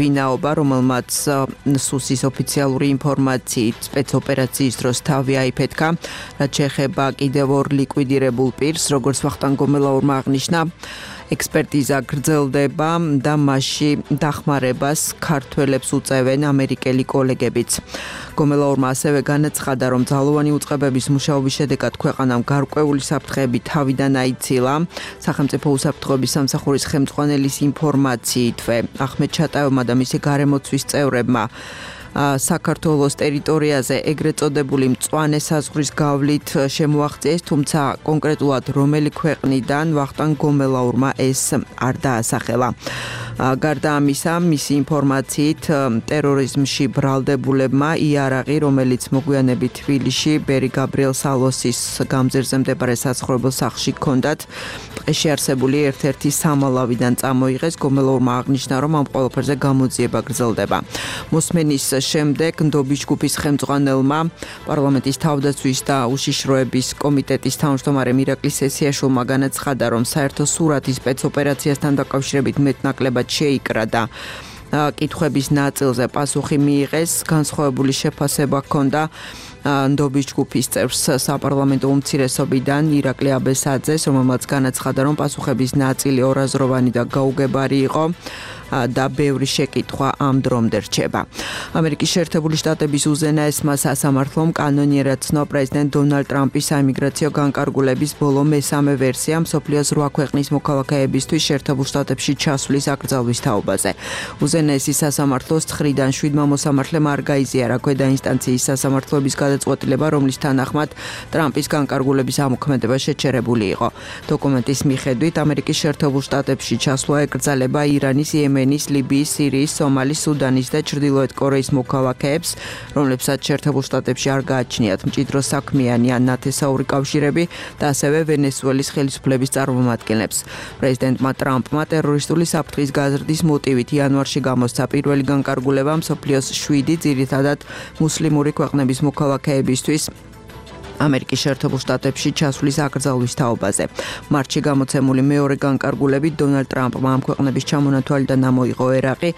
ვინაობა რომელმაც სუსის ოფიციალური ინფორმაციით სპეცოპერაციის დროს თავი აიფეთქა რაც შეეხება კიდევ 2 ლიკვიდირებულ პირს როგორც ვახტანგ გომელაურმა აღნიშნა ექსპერტიზა გრძელდება და მასში დახმარებას ქართველებს უწევენ ამერიკელი კოლეგებიც. გომელაურმა ასევე განაცხადა, რომ ძალოვანი უწყებების მუშაობის შედეგად ქვეყანამ გარკვეული საფრთხეები თავიდან აიცილა. სახელმწიფო უსაფრთხოების სამსახურის ხელმძღვანელის ინფორმაციითვე ახმედ ჩატაევმა და მისი გარემოცვის წევრებმა საქართველოს ტერიტორიაზე ეგრეთ წოდებული მწვანე საზღვრის გავლით შემოაღწიეს, თუმცა კონკრეტულად რომელი ქვეყნიდან ვახტანგ გომელაურმა ეს არ დაასახელა. გარდა ამისა, მისი ინფორმაციით ტერორიზმში ბრალდებულებმა იარაღი, რომელიც მოგვიანებით თბილისში ბერი გაბრიელ სალოსის გამზირზე მდებარე საცხოვრებელ სახლში ჰქონდათ, ტყეში არსებული ერთ-ერთი სამალავიდან წამოიღეს. გომელაურმა აღნიშნა, რომ ამ ყველაფერზე გამოძიება გრძელდება. მოსმენის შემდეგ ნდობის ჯგუფის ხელმძღვანელმა პარლამენტის თავდაცვის და უშიშროების კომიტეტის თავმჯდომარემ ირაკლი სესიაშვილმა განაცხადა, რომ საერთო სურათი სპეცოპერაციასთან დაკავშირებით მეტნაკლებად შეიკრა და კითხვების ნაწილზე პასუხი მიიღეს. განსხვავებული შეფასება ჰქონდა ნდობის ჯგუფის წევრს საპარლამენტო უმცირესობიდან ირაკლი აბესაძეს, რომელმაც განაცხადა, რომ პასუხების ნაწილი ორაზროვანი და გაუგებარი იყო და ბევრი შეკითხვა ამ დრომდე რჩება. ამერიკის შეერთებული შტატების უზენაესმა სასამართლომ კანონიერად ცნო პრეზიდენტ დონალდ ტრამპის საიმიგრაციო განკარგულების ბოლო მესამე ვერსია მსოფლიოს 8 ქვეყნის მოქალაქეებისთვის შეერთებულ შტატებში ჩასვლის აკრძალვის თაობაზე. უზენაესი სასამართლოს 9-დან 7 მოსამართლემ არ გაიზიარა ქვედა ინსტანციის სასამართლოების გადაწყვეტილება, რომლის თანახმად ტრამპის განკარგულების ამოქმედება შეჩერებული იყო. დოკუმენტის მიხედვით ამერიკის შეერთებულ შტატებში ჩასვლა ეკრძალება ირანის, იემენის, ლიბიის, სირიის, სომალის, სუდანის და ჩრდილოეთ კორეის მოქალაქეებს, რომლებსაც შეერთებულ შტატებში არ გააჩნიათ მჭიდრო საქმიანი ან ნათესაური კავშირები და ასევე ვენესუელის ხელისუფლების წარმომადგენლებს. პრეზიდენტმა ტრამპმა ტერორისტული საფრთხის გაზრდის მოტივით იანვარში გამოსცა პირველი განკარგულება მსოფლიოს 7 ძირითადად მუსლიმური ქვეყნების მოქალაქეებისთვის ამერიკის შეერთებულ შტატებში ჩასვლის აკრძალვის თაობაზე. მარტში გამოცემული მეორე განკარგულებით დონალდ ტრამპმა ამ ქვეყნების ჩამონათვალიდან ამოიღო ერაყი,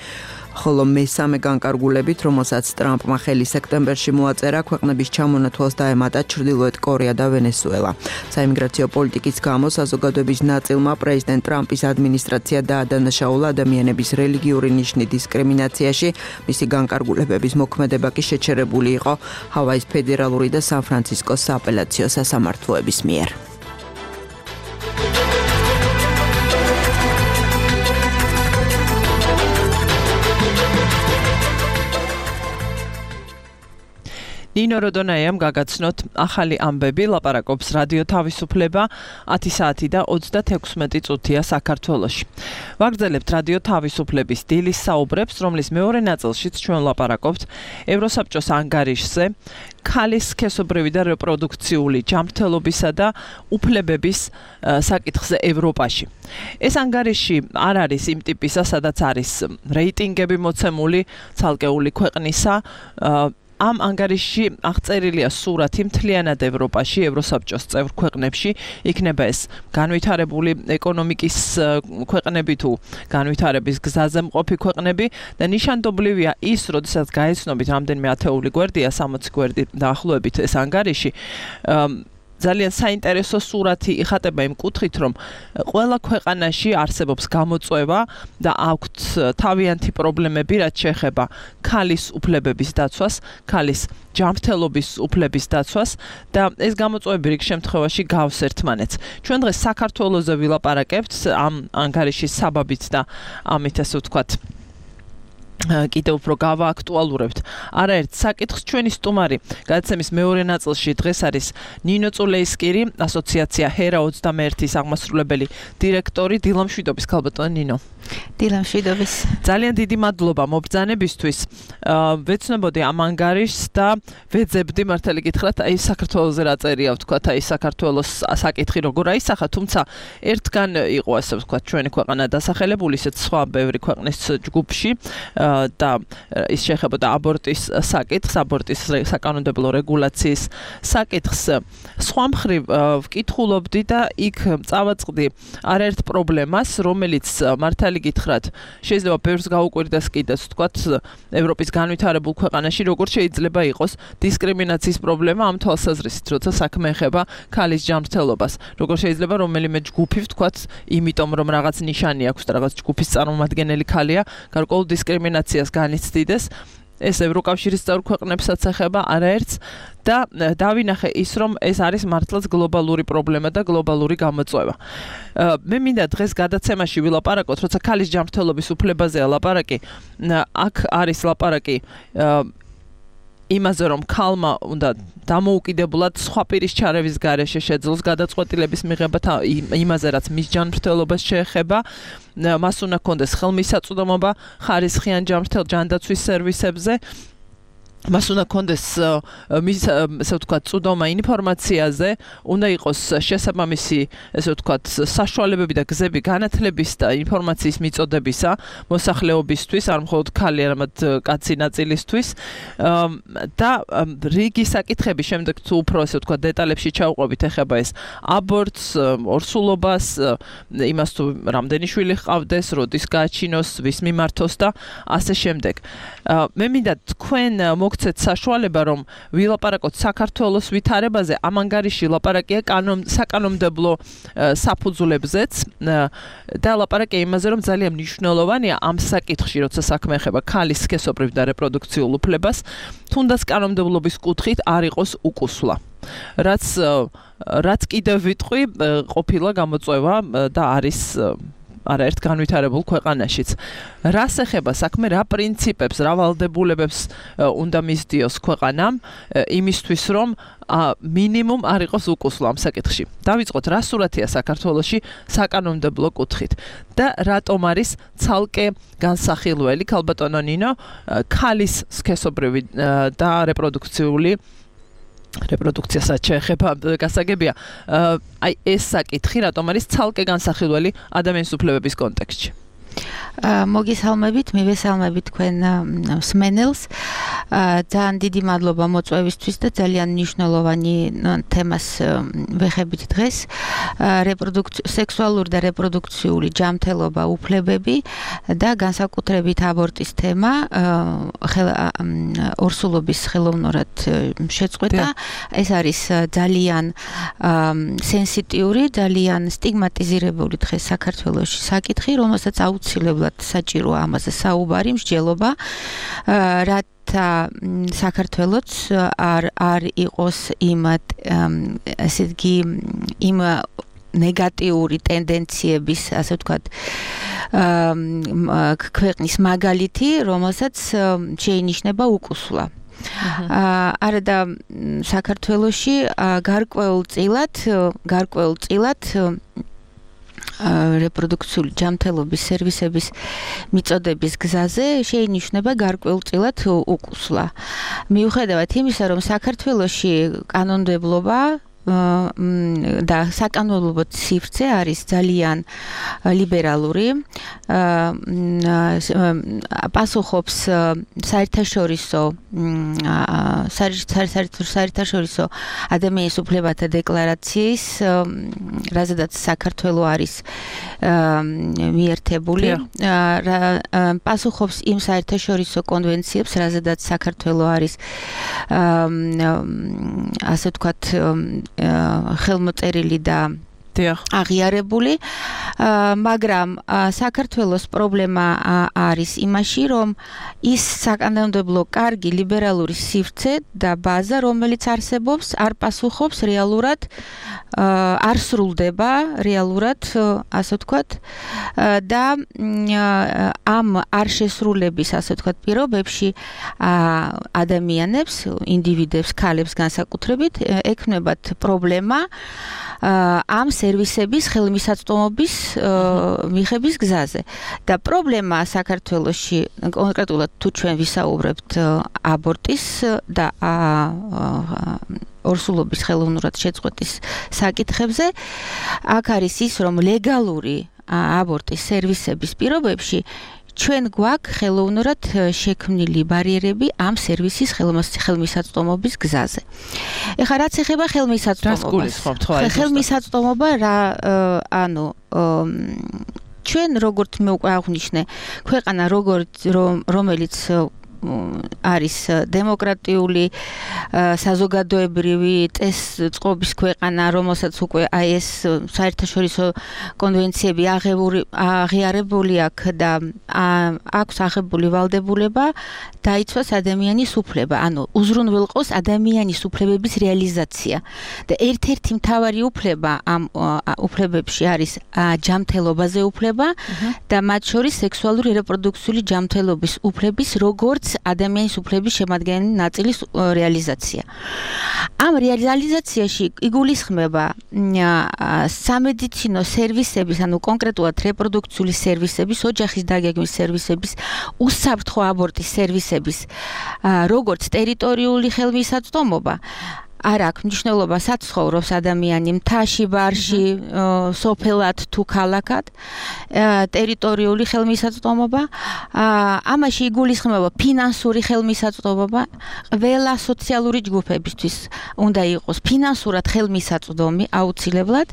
ხოლო მესამე განკარგულებით, რომელსაც ტრამპმა ხელი სექტემბერში მოაწერა, ქვეყნების ჩამონათვალს დაემატა ჩრდილოეთ კორეა და ვენესუელა. საიმიგრაციო პოლიტიკის გამო საზოგადოების ნაწილმა პრეზიდენტ ტრამპის ადმინისტრაცია დაადანაშაულა ადამიანების რელიგიური ნიშნის დისკრიმინაციაში. მისი განკარგულებების მოქმედება კი შეჩერებული იყო ჰავაის ფედერალური და სან-ფრანცისკოს სააპელაციო სასამართლოების მიერ. ნინო როდონაიამ გაგაცნოთ ახალი ამბები, ლაპარაკობს რადიო თავისუფლება 10 საათი და 36 წუთია საქართველოში. ვაგრძელებთ რადიო თავისუფლების დილის საუბრებს, რომლის მეორე ნაწილშიც ჩვენ ლაპარაკობთ ევროსაბჭოს ანგარიშზე, ქალის სქესობრივი და რეპროდუქციული ჯანმრთელობისა და უფლებების საკითხზე ევროპაში. ეს ანგარიში არ არის იმ ტიპისა, სადაც არის რეიტინგები მოცემული ცალკეული ქვეყნისა. ამ ანგარიშში აღწერილია სურათი მთლიანად ევროპაში, ევროსაბჭოს წევრ ქვეყნებში, იქნება ეს განვითარებული ეკონომიკის ქვეყნები თუ განვითარების გზაზე მყოფი ქვეყნები და ნიშანდობლივია ის, როდესაც გაეცნობით რამდენიმე ათეული გვერდია, 60 გვერდი დაახლოებით ეს ანგარიში, ძალიან საინტერესო სურათი იხატება იმ კუთხით, რომ ყველა ქვეყანაში არსებობს გამოწვევა და აქვთ თავიანთი პრობლემები, რაც შეეხება ქალის უფლებების დაცვას, ქალის ჯანმრთელობის უფლების დაცვას და ეს გამოწვევები რიგ შემთხვევაში გავს ერთმანეთს. ჩვენ დღეს საქართველოზე ვილაპარაკებთ ამ ანგარიშის საბაბით და ამით ასე ვთქვათ კიდევ უფრო გავააქტუალურებთ არაერთ საკითხს. ჩვენი სტუმარი გადაცემის მეორე ნაწილში დღეს არის ნინო წულეისკირი, ასოციაცია ჰერა 21-ის აღმასრულებელი დირექტორი. დილამშვიდობის ქალბატონო ნინო. დილამშვიდობის. ძალიან დიდი მადლობა მობრძანებისთვის. ვეცნობოდი ამ ანგარიშს და ვეძებდი მართალი გითხრათ, აი საქართველოზე რა წერია, ვთქვათ, აი საქართველოს საკითხი როგორ აისახა, თუმცა ერთგან იყო ასე ვთქვათ ჩვენი ქვეყანა დასახელებული, ისეთ სხვა ბევრი ქვეყნის ჯგუფში და ის შეეხებოდა აბორტის საკითხს, აბორტის საკანონმდებლო რეგულაციის საკითხს. სხვა მხრივ ვკითხულობდი და იქ წავაწყდი არაერთ პრობლემას, რომელიც მართალი გითხრათ, შეიძლება ბევრს გაუკვირდეს კიდეც, ვთქვათ, ევროპის განვითარებულ ქვეყანაში როგორ შეიძლება იყოს დისკრიმინაციის პრობლემა ამ თვალსაზრისით, როცა საქმე ეხება ქალის ჯანმრთელობას. როგორ შეიძლება რომელიმე ჯგუფი, ვთქვათ, იმიტომ რომ რაღაც ნიშანი აქვს და რაღაც ჯგუფის წარმომადგენელი ქალია, გარკვეულ დისკრიმინაციას განიცდიდეს. ეს ევროკავშირის წევრ ქვეყნებსაც ეხება არაერთს და დავინახე ის, რომ ეს არის მართლაც გლობალური პრობლემა და გლობალური გამოწვევა. მე მინდა დღეს გადაცემაში ვილაპარაკოთ, როცა ქალის ჯანმრთელობის უფლებაზეა ლაპარაკი, აქ არის ლაპარაკი იმაზე რომ ქალმა უნდა დამოუკიდებლად სხვა პირის ჩარევის გარეშე შეძლოს გადაწყვეტილების მიღება იმაზე რაც მის ჯანმრთელობას შეეხება მას უნდა კონდეს ხელმისაწვდომობა ხარისხიან ჯანდაცვის სერვისებზე მას უნდა კონდეს მის ესე ვთქვათ წვდომა ინფორმაციაზე უნდა იყოს შესაბამისი ესე ვთქვათ საშუალებები და გზები განათლების და ინფორმაციის მიწოდებისა მოსახლეობისთვის არ მხოლოდ ქალი არამედ კაცი ნაწილისთვის და რიგი საკითხები შემდეგ თუ უფრო ესე ვთქვათ დეტალებში ჩავყვებით ეხება ეს აბორტს ორსულობას იმას თუ რამდენი შვილი ჰყავდეს როდის გააჩინოს ვის მიმართოს და ასე შემდეგ მე მინდა თქვენ მოგცეთ საშუალება რომ ვილაპარაკოთ საქართველოს ვითარებაზე ამან გარიში ლაპარაკია საკანონმდებლო საფუძვლებზეც და ლაპარაკია იმაზე რომ ძალიან მნიშვნელოვანია ამ საკითხში როცა საქმე ეხება ქალის სქესობრივ და რეპროდუქციულ უფლებას თუნდაც კანონმდებლობის კუთხით არ იყოს უკუსვლა რაც კიდევ ვიტყვი ყოფილა გამოწვევა და არის არაერთ განვითარებულ ქვეყანაშიც. რას ეხება საქმე, რა პრინციპებს, რა ვალდებულებებს უნდა მისდიოს ქვეყანამ იმისთვის, რომ მინიმუმ არ იყოს უკუსვლა ამ საკითხში. დავიწყოთ, რა სურათია საქართველოში საკანონმდებლო კუთხით და რატომ არის ცალკე განსახილველი ქალბატონო ნინო ქალის სქესობრივი და რეპროდუქციასაც შეეხება გასაგებია. აი ეს საკითხი რატომ არის ცალკე განსახილველი ადამიანის უფლებების კონტექსტში? მოგესალმებით, მივესალმებით თქვენ მსმენელს. ძალიან დიდი მადლობა მოწვევისთვის და ძალიან მნიშვნელოვანი თემას ვეხებით დღეს. სექსუალური და რეპროდუქციული ჯანმრთელობა, უფლებები და განსაკუთრებით აბორტის თემა ორსულობის ხელოვნურად შეწყვეტა. ეს არის ძალიან სენსიტიური, ძალიან სტიგმატიზირებული დღეს საქართველოში საკითხი, რომელსაც აუცილებლად საჭიროა ამაზე საუბარი, მსჯელობა, რათა საქართველოც არ იყოს ესე იგი იმ ნეგატიური ტენდენციების, ასე ვთქვათ, ქვეყნის მაგალითი, რომელსაც შეინიშნება უკუსვლა. არა და საქართველოში გარკვეულწილად რეპროდუქციული ჯანმრთელობის სერვისების მიწოდების გზაზე შეინიშნება გარკვეულწილად უკუსვლა. მიუხედავად იმისა, რომ საქართველოში კანონმდებლობა და საკანონმდებლო ციფრზე არის ძალიან ლიბერალური, პასუხობს საერთაშორისო ადამიანის უფლებათა დეკლარაციის, რაზედაც საქართველო არის მიერთებული, პასუხობს იმ საერთაშორისო კონვენციებს, რაზედაც საქართველო არის ასე ვთქვათ ხელმოწერილი და აღიარებული, მაგრამ საქართველოს პრობლემა არის იმაში, რომ ის საკანონმდებლო კარგი ლიბერალური სივრცე და ბაზა, რომელიც არსებობს, არ პასუხობს რეალურად, არ სრულდება რეალურად, ასე ვთქვათ, და ამ არ შესრულების, ასე ვთქვათ, პირობებში ადამიანებს, ინდივიდებს, ქალებს განსაკუთრებით ექმნებათ პრობლემა ამ სერვისების ხელმისაწვდომობის მიღების გზაზე. და პრობლემა საქართველოში, კონკრეტულად თუ ჩვენ ვისაუბრებთ აბორტის და ორსულობის ხელოვნურად შეწყვეტის საკითხებზე, აქ არის ის, რომ ლეგალური აბორტის სერვისების პირობებში ჩვენ გვაქვს ხელოვნურად შექმნილი ბარიერები ამ სერვისის ხელმისაწვდომობის გზაზე. ეხლა რაც ეხება ხელმისაწვდომობას. ხელმისაწვდომობა ჩვენ როგორც მე უკვე აღვნიშნე, ქვეყანა რომელიც არის დემოკრატიული, საზოგადოებრივი წესწყობის ქვეყანა, რომელსაც უკვე ეს საერთაშორისო კონვენციები აღიარებული აქვს და აქვს აღებული ვალდებულება დაიცვას ადამიანის უფლება, ანუ უზრუნველყოს ადამიანის უფლებების რეალიზაცია. და ერთ-ერთი მთავარი უფლება ამ უფლებებში არის ჯანმრთელობაზე უფლება და მათ შორის სექსუალური რეპროდუქციული ჯანმრთელობის უფლების როგორც ადამიანის უფლების შემადგენელი ნაწილის რეალიზაცია. ამ რეალიზაციაში იგულისხმება სამედიცინო სერვისების, ანუ კონკრეტულად რეპროდუქციული სერვისების, ოჯახის დაგეგმვის სერვისების, უსაფრთხო აბორტის სერვისების, როგორც ტერიტორიული ხელმისაწვდომობა, არ აქვს მნიშვნელობა საცხოვრობს ადამიანი მთაში, ბარში, სოფელად თუ ქალაქად, ტერიტორიული ხელმისაწვდომობა, ამაში იგულისხმება ფინანსური ხელმისაწვდომობა, ყველა სოციალური ჯგუფებისთვის უნდა იყოს ფინანსურად ხელმისაწვდომი აუცილებლად.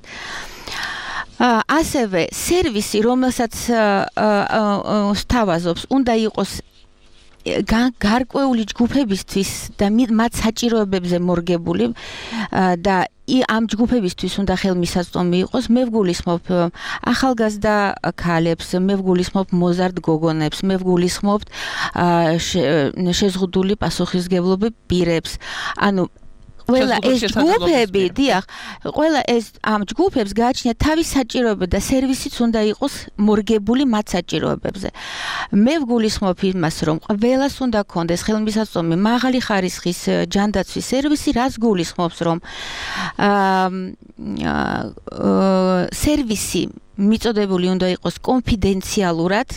ასევე სერვისი, რომელსაც სთავაზობს, უნდა იყოს გარკვეული ჯგუფებისთვის და მათ საჭიროებებზე მორგებული და ამ ჯგუფებისთვის უნდა ხელმისაწვდომი იყოს. მე ვგულისხმობ ახალგაზრდა ქალებს, მე ვგულისხმობ მოზარდ გოგონებს, მე ვგულისხმობ შეზღუდული პასუხისმგებლობი პირებს. ანუ ყველა ეს ჯგუფები, დიახ, ყველა ეს ამ ჯგუფებს გააჩნიათ თავის საჭიროება და სერვისიც უნდა იყოს მორგებული მათ საჭიროებებზე. მე ვგულისხმობ იმას, რომ ყველას უნდა ქონდეს ხელმისაწვდომი მაღალი ხარისხის ჯანდაცვის სერვისი, რაც გულისხმობს, რომ სერვისი მიწოდებული უნდა იყოს კონფიდენციალურად,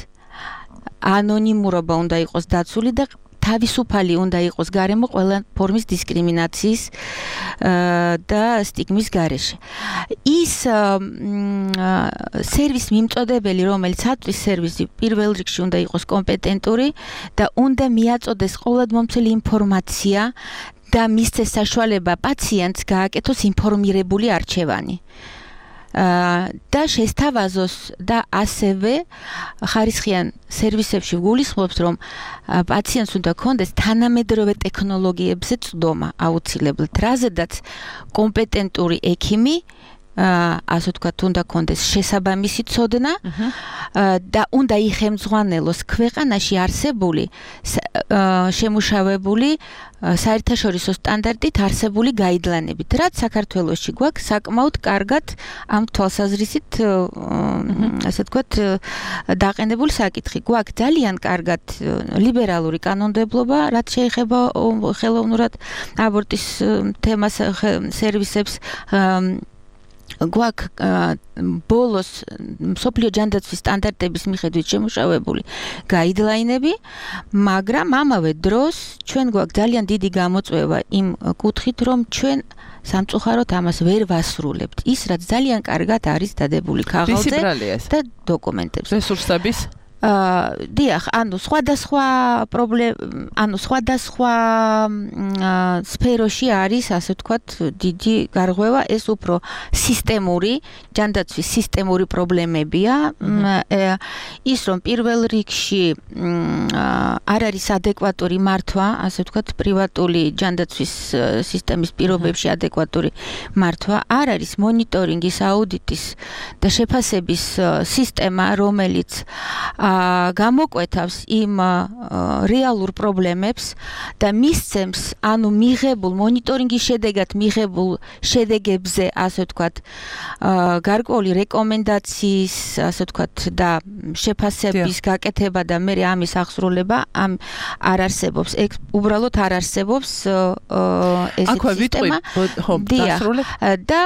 ანონიმურობა უნდა იყოს დაცული და თავისუფალი უნდა იყოს გარემო ყველა ფორმის დისკრიმინაციის და სტიგმის გარეშე. ის სერვის მიმწოდებელი, რომელიც აწვის სერვისი, პირველ რიგში უნდა იყოს კომპეტენტური და უნდა მიაწოდეს ყოველდღიური ინფორმაცია და მისცეს საშუალება პაციენტს გააკეთოს ინფორმირებული არჩევანი. და შესთავაზოს და ასევე ხარისხიან სერვისებში გულისხმობს, რომ პაციენტს უნდა ქონდეს თანამედროვე ტექნოლოგიებზე წვდომა აუცილებლად, რაზედაც კომპეტენტური ექიმი ასე ვთქვათ, უნდა ქონდეს შესაბამისი ცოდნა და უნდა იხელმძღვანელოს ქვეყანაში არსებული შემუშავებული საერთაშორისო სტანდარტით არსებული გაიდლაინებით, რაც საქართველოში გვაქვს საკმაოდ კარგად ამ თვალსაზრისით, ასე ვთქვათ, დაყენებული საკითხი. გვაქვს ძალიან კარგად ლიბერალური კანონმდებლობა, რაც შეეხება ხელოვნურად აბორტის თემას, სერვისებს. გვაქვს ბოლოს მსოფლიო ჯანდაცვის სტანდარტების მიხედვით შემუშავებული გაიდლაინები, მაგრამ ამავე დროს ჩვენ გვაქვს ძალიან დიდი გამოწვევა იმ კუთხით, რომ ჩვენ სამწუხაროდ ამას ვერ ვასრულებთ. ის, რაც ძალიან კარგად არის დადებული ქაღალდზე და დოკუმენტებზე. რესურსების დიახ, ანუ სხვადასხვა სფეროში არის, ასე ვთქვათ, დიდი გარღვევა, ეს უფრო სისტემური, ჯანდაცვის სისტემური პრობლემებია. ის, რომ პირველ რიგში არ არის ადეკვატური მართვა, ასე ვთქვათ, პრივატული ჯანდაცვის სისტემის პირობებში ადეკვატური მართვა, არ არის მონიტორინგის, აუდიტის და შეფასების სისტემა, რომელიც გამოკვეთავს იმ რეალურ პრობლემებს და მისცემს, ანუ მიღებულ მონიტორინგის შედეგად მიღებულ შედეგებზე, ასე ვთქვათ, გარკვეული რეკომენდაციის, ასე ვთქვათ, და შეფასების გაკეთება და მე ამის აღსრულება არ არსებობს. უბრალოდ არ არსებობს ესეთი სისტემა. და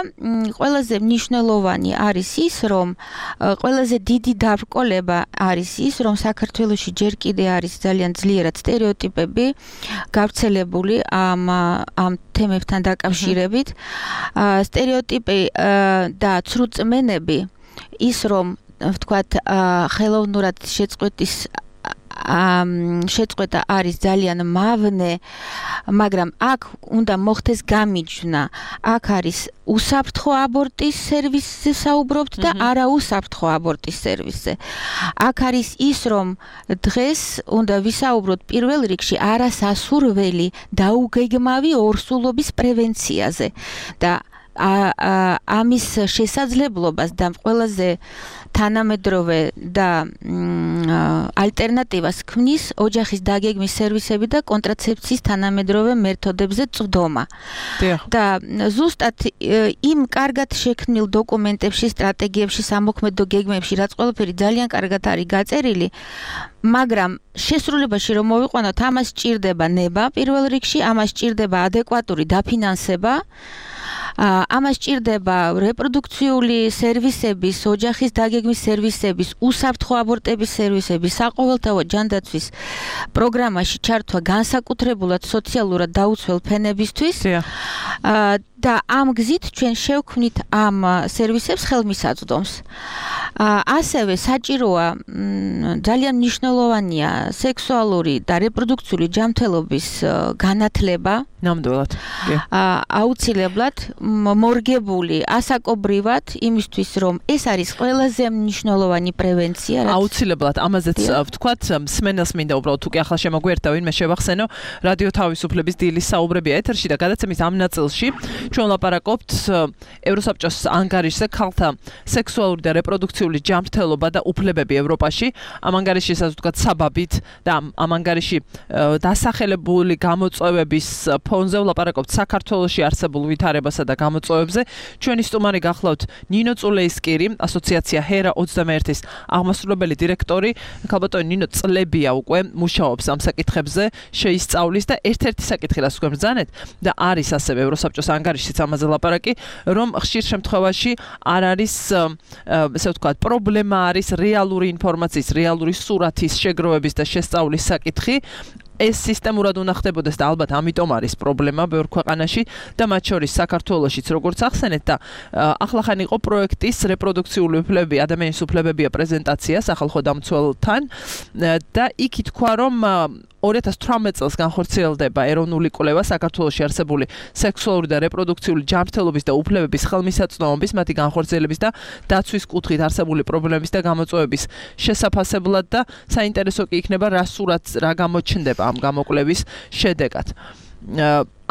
ყველაზე მნიშვნელოვანი არის ის, რომ ყველაზე დიდი დაბრკოლება არის ის, რომ საქართველოში ჯერ კიდე არის ძალიან ძლიერად სტერეოტიპები გავრცელებული ამ თემებთან დაკავშირებით. სტერეოტიპი და ცრუწმენები, ის რომ ვთქვათ, ხელოვნურად შეწყვეტა არის ძალიან მავნე, მაგრამ აქ უნდა მოხდეს გამიჯვნა. აქ არის უსაფრთხო აბორტის სერვისზე საუბრობთ და არა უსაფრთხო აბორტის სერვისზე. აქ არის ის, რომ დღეს უნდა ვისაუბროთ პირველ რიგში არასასურველი დაუგეგმავი ორსულობის პრევენციაზე და ამის შესაძლებლობას და ყველაზე თანამედროვე და ალტერნატივას ქმნის ოჯახის დაგეგმის სერვისები და კონტრაცეფციის თანამედროვე მეთოდებზე წვდომა. და ზუსტად იმ კარგად შექმნილ დოკუმენტებში, სტრატეგიებში, სამოქმედო გეგმებში, რაც ყველაფერი ძალიან კარგად არის გაწერილი, მაგრამ შესრულებაში რომ მოვიყვანოთ, ამას სჭირდება ნება პირველ რიგში, ამას სჭირდება ადეკვატური დაფინანსება, ამას სჭირდება რეპროდუქციული სერვისების, ოჯახის დაგეგმის სერვისების, უსაფრთხო აბორტების სერვისების, საყოველთაო ჯანდაცვის პროგრამაში ჩართვა განსაკუთრებულად სოციალურად დაუცველ ფენებისთვის. და ამ გზით ჩვენ შევქმნით ამ სერვისებს ხელმისაწვდომს. ასევე საჭიროა ძალიან მნიშვნელოვანია სექსუალური და რეპროდუქციული ჯანმრთელობის განათლება. ნამდვილად. აუცილებლად მორგებული ასაკობრივად იმისთვის რომ ეს არის ყველაზე მნიშვნელოვანი პრევენცია. აუცილებლად ამაზეც ვთქვათ, მსმენელს მინდა უბრალოდ თუ კი ახლა შემოგვიერთდა ვინმე შევახსენო, რადიო თავისუფლების დილის საუბრებია ეთერში და გადაცემის ამ ნაწილში ჩვენ ვლაპარაკობთ ევროსაბჭოს ანგარიშზე ქალთა სექსუალური და რეპროდუქციული ჯანმრთელობა და უფლებები ევროპაში. ამ ანგარიში ასე ვთქვათ საბაბით და ამ ანგარიში დასახელებული გამოწვევების ფონზე ვლაპარაკობთ საქართველოში არსებულ ვითარებასა და გამოწვევებზე. ჩვენი სტუმარი გახლავთ ნინო წულეისკირი, ასოციაცია ჰერა 21-ის აღმასრულებელი დირექტორი. ქალბატონი ნინო წლებია უკვე მუშაობს ამ საკითხებზე, შეისწავლის და ერთ-ერთი საკითხი რაც თქვენ ბრძანეთ და არის ასევე ევროსაბჭოს ანგარიშიც ამაზე ლაპარაკი, რომ ხშირ შემთხვევაში არ არის ესე ვთქვათ პრობლემა არის რეალური ინფორმაციის, რეალური სურათის შეგროვების და შესწავლის საკითხი. ეს სისტემურად უნდა ხდებოდეს და ალბათ ამიტომ არის პრობლემა ბევრ ქვეყანაში და მათ შორის საქართველოშიც როგორც ახსენეთ და ახლახან იყო პროექტის რეპროდუქციული უფლებები, ადამიანის უფლებებია პრეზენტაცია სახალხო დამცველთან და იქ ითქვა რომ 2018 წელს განხორციელდება ეროვნული კვლევა საქართველოში არსებული სექსუალური და რეპროდუქციული ჯანმრთელობის და უფლებების ხელმისაწვდომობის, მათი განხორციელების და დაცვის კუთხით არსებული პრობლემების და გამოწვევების შესაფასებლად და საინტერესო კი იქნება რა სურათს რა გამოჩნდება ამ გამოკვლევის შედეგად.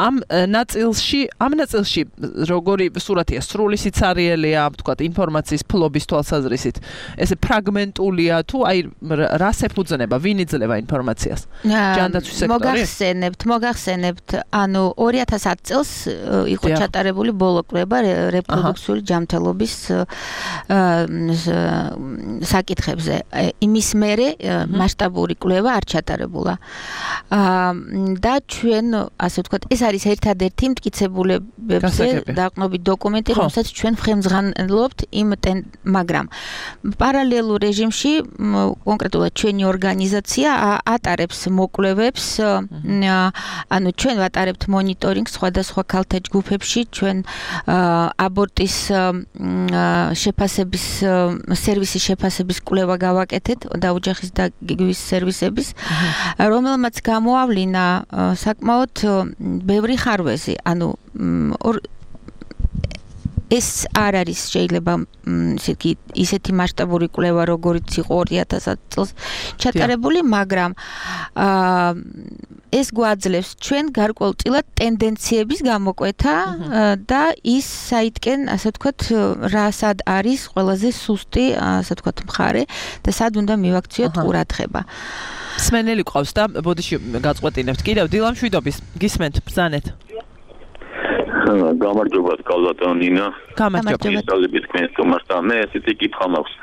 ამ ნაწილში როგორი სურათია, სრული სიცარიელია, ვთქვათ, ინფორმაციის ფლობის თვალსაზრისით. ესე ფრაგმენტულია თუ აი რას ეფუძნება, ვინ იძლევა ინფორმაციას? ჯანდაცვის სექტორი? მოგახსენებთ, ანუ 2010 წელს იყო ჩატარებული ბოლო კვლევა რეპროდუქციული ჯანმრთელობის საკითხებზე. იმის მერე მასშტაბური კვლევა არ ჩატარებულა. და ჩვენ, ასე ვთქვათ, ეს არის ერთადერთი მტკიცებულებებზე დაყრდნობით დოკუმენტი, რომელსაც ჩვენ ხელმძღვანელობთ მაგრამ პარალელურ რეჟიმში კონკრეტულად ჩვენი ორგანიზაცია ატარებს მოკვლევებს, ანუ ჩვენ ვატარებთ მონიტორინგს სხვადასხვა ქალთა ჯგუფებში, ჩვენ აბორტის შეფასების სერვისის შეფასების კვლევა გავაკეთეთ და ოჯახის დაგეგმვის სერვისების, რომელმაც გამოავლინა საკმაოდ ბევრი ხარვეზი, ანუ ეს არ არის შეიძლება ისეთი მასშტაბური კვლევა როგორიც იყო 2010 წელს ჩატარებული, მაგრამ ეს გვაძლევს ჩვენ გარკვეულწილად ტენდენციების გამოკვეთა და ის საითკენ, ასე ვთქვათ, რასად არის ყველაზე სუსტი, ასე ვთქვათ, მხარე და სად უნდა მივაქციოთ ყურადღება. სმენელი ყავს და ბოდიში გაწყვეტინებთ. კიდევ დილამშვიდობის გისმენთ, ბრძანეთ. გამარჯობა, ქალბატონო ნინა. გამარჯობა. სწავლებით თქვენს სტუმარს. მე ესეთი კითხვა მაქვს.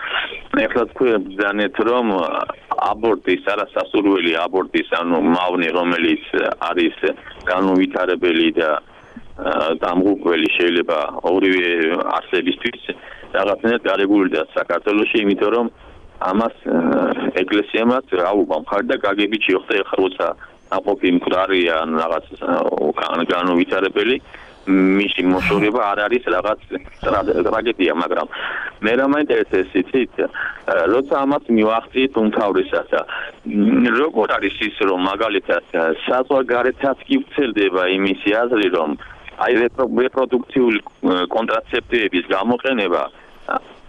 ეხლა თქვენ ბრძანეთ, რომ აბორტის, არასასურველი აბორტის, ანუ მავნე, რომელიც არის განუვითარებელი და დამღუპველი შეიძლება ორივე არსებისთვის რაღაცნაირად გარეგულდა საქართველოში, იმიტომ რომ ამას ეკლესიამაც აუღა მხარი და გაგებით შეხვდა ეხლა როცა ნაყოფი მკვდარია ან რაღაც განუვითარებელი მისი მოშორება არ არის რაღაც ტრაგედია, მაგრამ მე რა მაინტერესებს იცით, როცა ამას მივახციეთ უმთავრესად, როგორ არის ის, რომ მაგალითად საზღვარგარეთაც კი ვრცელდება იმისი აზრი, რომ აი რეპროდუქციული კონტრაცეპტივების გამოყენება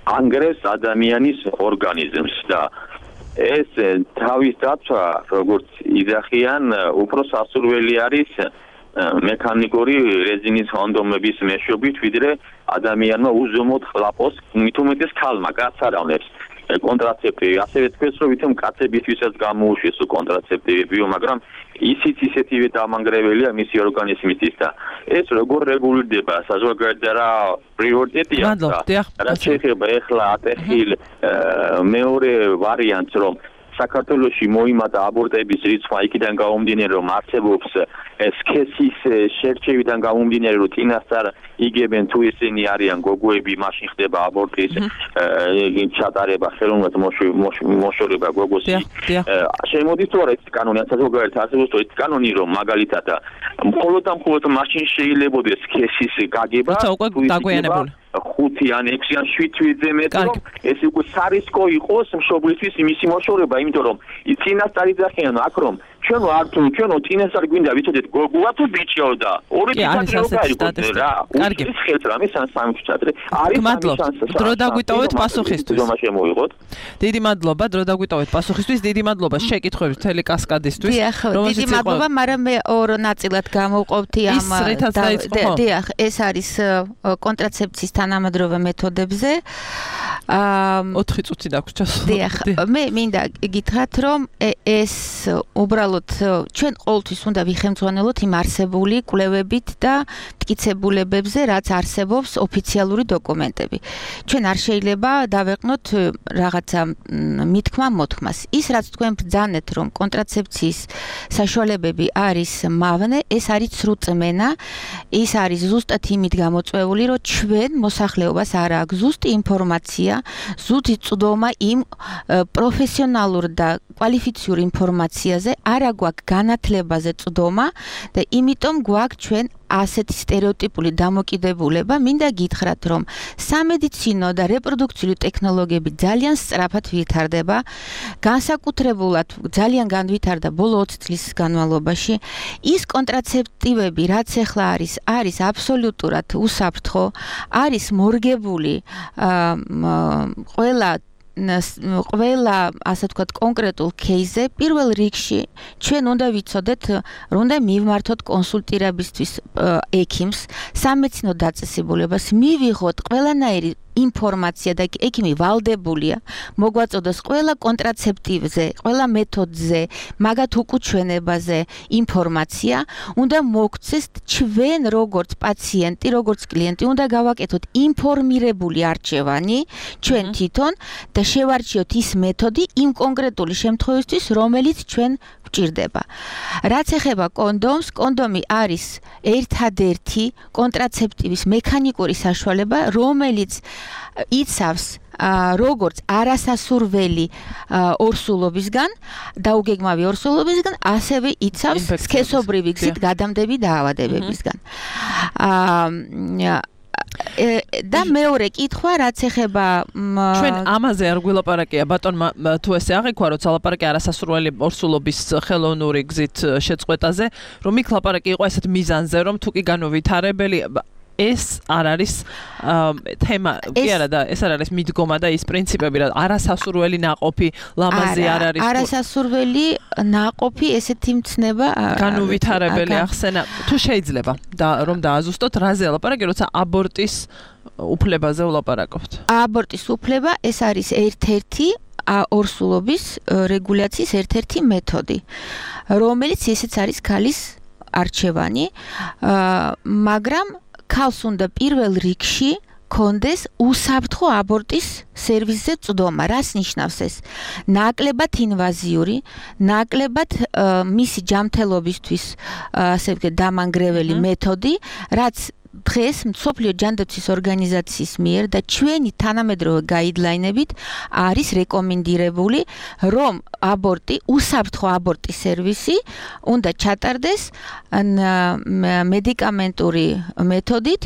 ანგრევს ადამიანის ორგანიზმს და ეს თავის დაცვა, როგორც იძახიან, უფრო სასურველი არის მექანიკური რეზინის კონდომების მეშვეობით, ვიდრე ადამიანმა უზომოდ ხლაპოს, მით უმეტეს ქალმა, კაცს არ ავნებს კონტრაცეპტივი. ასევე თქვენს რომ ვითომ კაცებისთვისაც გამოუშვეს კონტრაცეპტივებიო, მაგრამ ისიც ისეთივე დამანგრეველია მისი ორგანიზმისთვის და ეს როგორ რეგულირდება საზოგადოებრივ რა პრიორიტეტია და შეიძლება ეხლა ატეხილ მეორე ვარიანტს რომ საქართველოში მოიმატა აბორტების რიცხვი იქიდან გამომდინარე რომ არსებობს სქესის შერჩევიდან გამომდინარე რომ წინასწარ იგებენ თუ ისინი არიან გოგოები მაშინ ხდება აბორტის ჩატარება ხელოვნურად მოშორება გოგოსი შემოდის თუ არა ეს კანონი საზოგადოებრივ არსებობს თუ ეს კანონი რომ მაგალითად მხოლოდ მაშინ შეიძლება სქესის გაგება თუ დაგვიანებული 5 ან 6 ან 7 თვეზე მეტი რომ ეს უკვე სარისკო იყოს მშობლისთვის მისი მოშორება, იმიტომ რომ წინასწარ იძახიან აქ რომ ჩვენო არ თუ ჩვენო წინასწარ გვინდა ვიცოდეთ გოგოა თუ ბიჭიო და ორი თვითონ რა კარგი ხელს რამე სამი ჩატრე არის დრო დაგვიტოვეთ პასუხისთვის დიდი მადლობა დრო დაგვიტოვეთ პასუხისთვის დიდი მადლობა შეკითხვების მთელი კასკადისთვის დიდი მადლობა მაგრამ მე ორ ნაწილად გამოვყოფთი ამ დიახ ეს არის კონტრაცეფციის თანამედროვე მეთოდებზე 4 წუთი დაგვჭა დიახ მე მინდა გითხრათ რომ ეს უბრალოდ ჩვენ ყოველთვის უნდა ვიხელმძღვანელოთ იმ არსებული კვლევებით და მტკიცებულებებზე, რაც არსებობს ოფიციალური დოკუმენტები. ჩვენ არ შეიძლება დავეყნოთ რაღაცა მითქმა-მოთქმას. ის რაც თქვენ ბრძანეთ, რომ კონტრაცეფციის საშუალებები არის მავნე, ეს არის სრუწმენა, ის არის ზუსტად იმით გამოწვეული, რომ ჩვენ მოსახლეობას არ აქვს ზუსტი ინფორმაცია, ზუსტი წვდომა იმ პროფესიონალურ და კვალიფიციური ინფორმაციაზე, არა გვაქვს განათლებაზე წვდომა და იმიტომ გვაქვს ჩვენ ასეთი სტერეოტიპული დამოკიდებულება. მინდა გითხრათ, რომ სამედიცინო და რეპროდუქციული ტექნოლოგიები ძალიან სწრაფად ვითარდება, განსაკუთრებულად ძალიან განვითარდა ბოლო 20 წლის განმავლობაში. ის კონტრაცეპტივები, რაც ახლა არის აბსოლუტურად უსაფრთხო, არის მორგებული ყველა ასე ვთქვათ კონკრეტულ кейსზე პირველ რიგში ჩვენ უნდა ვიცოდეთ რომ უნდა მივმართოთ კონსულტირებისთვის ექიმს სამედიცინო დაწესებულებას მივიღოთ ყველანაირი ინფორმაცია და ექიმი ვალდებულია მოგვაწოდოს ყველა კონტრაცეპტივზე, ყველა მეთოდზე, მაგათ უკუჩვენებაზე ინფორმაცია, უნდა მოგცეს ჩვენ როგორც პაციენტი, როგორც კლიენტი, უნდა გავაკეთოთ ინფორმირებული არჩევანი ჩვენ თვითონ და შევარჩიოთ ის მეთოდი იმ კონკრეტული შემთხვევისთვის, რომელიც ჩვენ გვჭირდება. რაც ეხება კონდომს, კონდომი არის ერთადერთი კონტრაცეპტივის მექანიკური საშუალება, რომელიც იცავს როგორც არასასურველი ორსულობისგან, დაუგეგმავი ორსულობისგან, ასევე იცავს სქესობრივი გზით გადამდები დაავადებებისგან. და მეორე კითხვა რაც ეხება ჩვენ ამაზე არ გვილაპარაკია ბატონმა თუ ესე აღიქვა რომ ლაპარაკი არასასურველი ორსულობის ხელოვნური გზით შეწყვეტაზე რომ იქ ლაპარაკი იყო ესეთ მიზანზე რომ თუ კი განუვითარებელი ეს არ არის თემა კი არა და ეს არ არის მიდგომა და ის პრინციპები რა არასასურველი ناقოფი ლამაზი არ არის არასასურველი ناقოფი ესეთი მცნება განუვითარებელი ახსენა თუ შეიძლება და რომ დააზუსტოთ რაზე ლაპარაკი როცა აბორტის უფლებაზე ვლაპარაკობთ აბორტის უფლება ეს არის ერთ-ერთი ორსულობის რეგულაციის ერთ-ერთი მეთოდი რომელიც ისიც არის ქალის არჩევანი მაგრამ ქალს უნდა პირველ რიგში კონდეს უსაფრთხო აბორტის სერვისზე წვდომა. რას ნიშნავს ეს? ნაკლებად ინვაზიური, ნაკლებად მისი ჯანმრთელობისთვის ასე ვთქვათ დამანგრეველი მეთოდი, რაც დღეს მსოფლიო ჯანდაცვის ორგანიზაციის მიერ და ჩვენი თანამედროვე გაიდლაინებით არის რეკომენდირებული, რომ აბორტი, უსაფრთხო აბორტის სერვისი უნდა ჩატარდეს მედიკამენტური მეთოდით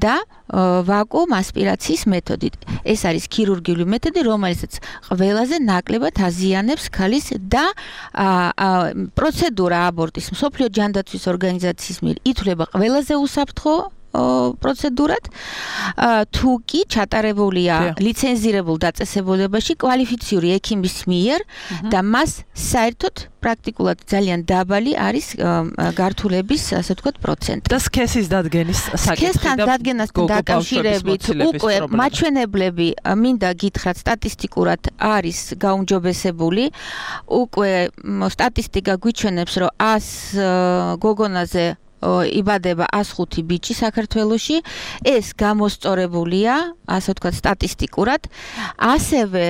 და ვაკუუმ ასპირაციის მეთოდით. ეს არის ქირურგიული მეთოდი, რომელსაც ყველაზე ნაკლებად აზიანებს ქალის და პროცედურა აბორტის მსოფლიო ჯანდაცვის ორგანიზაციის მიერ ითვლება ყველაზე უსაფრთხო პროცედურად თუ კი ჩატარებულია ლიცენზირებულ დაწესებულებაში კვალიფიციური ექიმის მიერ და მას საერთოდ პრაქტიკულად ძალიან დაბალი არის გართულების, ასე ვთქვათ, პროცენტი. და სქესის დადგენის საკითხი სქესთან დადგენასთან დაკავშირებით უკვე მაჩვენებლები მინდა გითხრათ სტატისტიკურად არის გაუმჯობესებული. უკვე სტატისტიკა გვიჩვენებს, რომ 100 გოგონაზე იბადება 105 ბიჭი საქართველოში. ეს გამოსწორებულია, ასე ვთქვათ, სტატისტიკურად. ასევე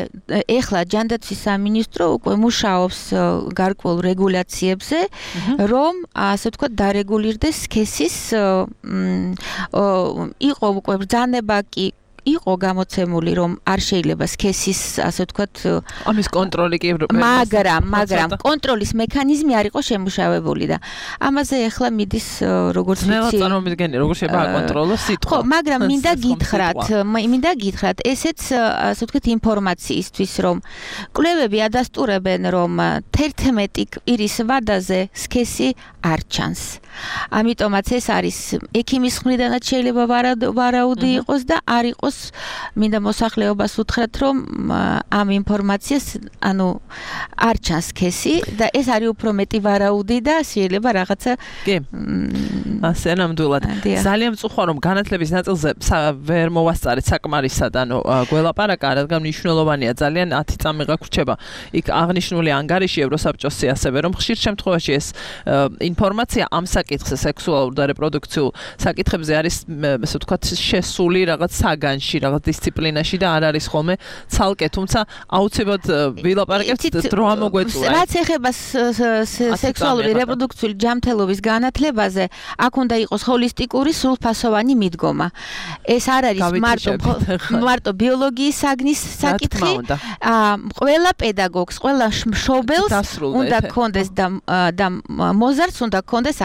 ეხლა ჯანდაცვის სამინისტრო უკვე მუშაობს გარკვეულ რეგულაციებზე, რომ ასე ვთქვათ, დარეგულირდეს სქესის იყო უკვე ბრძანება კი იყო გამოცემული, რომ არ შეიძლება სქესის, ასე ვთქვათ, ამის კონტროლი კი მაგრამ კონტროლის მექანიზმი არ იყო შემუშავებული და ამაზე ახლა მიდის როგორც ვიცი წარმომიდგენი როგორ შეიძლება აკონტროლოს სიტყვა. ხო, მაგრამ მინდა გითხრათ, ესეც, ასე ვთქვათ, ინფორმაციისთვის, რომ კვლევები ადასტურებენ, რომ 11 კვირის ვადაზე სქესი არ ჩანს. ამიტომაც ეს არის ექიმის მხრიდანაც შეიძლება ვარაუდი იყოს და არ იყოს მინდა მოსახლეობას უთხრათ, რომ ამ ინფორმაციას, ანუ არ ჩანს სქესი და ეს არის უფრო მეტი ვარაუდი და შეიძლება რაღაცა კი. ასე ნამდვილად. ძალიან მწუხარ, რომ განათლების ნაწილზე ვერ მოვასწარეთ საკმარისად, ანუ გველაპარაკა, რადგან მნიშვნელოვანია ძალიან 10 წამი გაგვრჩება. იქ აღნიშნული ანგარიში ევროსაბჭოსი ასევე, რომ ხშირ შემთხვევაში ეს ინფორმაცია ამ საკითხზე, სექსუალურ და რეპროდუქციულ საკითხებზე არის, ასე ვთქვათ, შესული რაღაც საგანში, რაღაც დისციპლინაში და არ არის ხოლმე ცალკე, თუმცა აუცილებლად ვილაპარაკებთ დრო ამოგვეწულა. რაც ეხება სექსუალური რეპროდუქციული ჯანმრთელობის განათლებაზე, აქ უნდა იყოს ჰოლისტიკური სრულფასოვანი მიდგომა. ეს არ არის მარტო ბიოლოგიის საგნის საკითხი. ყველა პედაგოგს, ყველა მშობელს უნდა გქონდეს და მოზარდს უნდა გქონდეს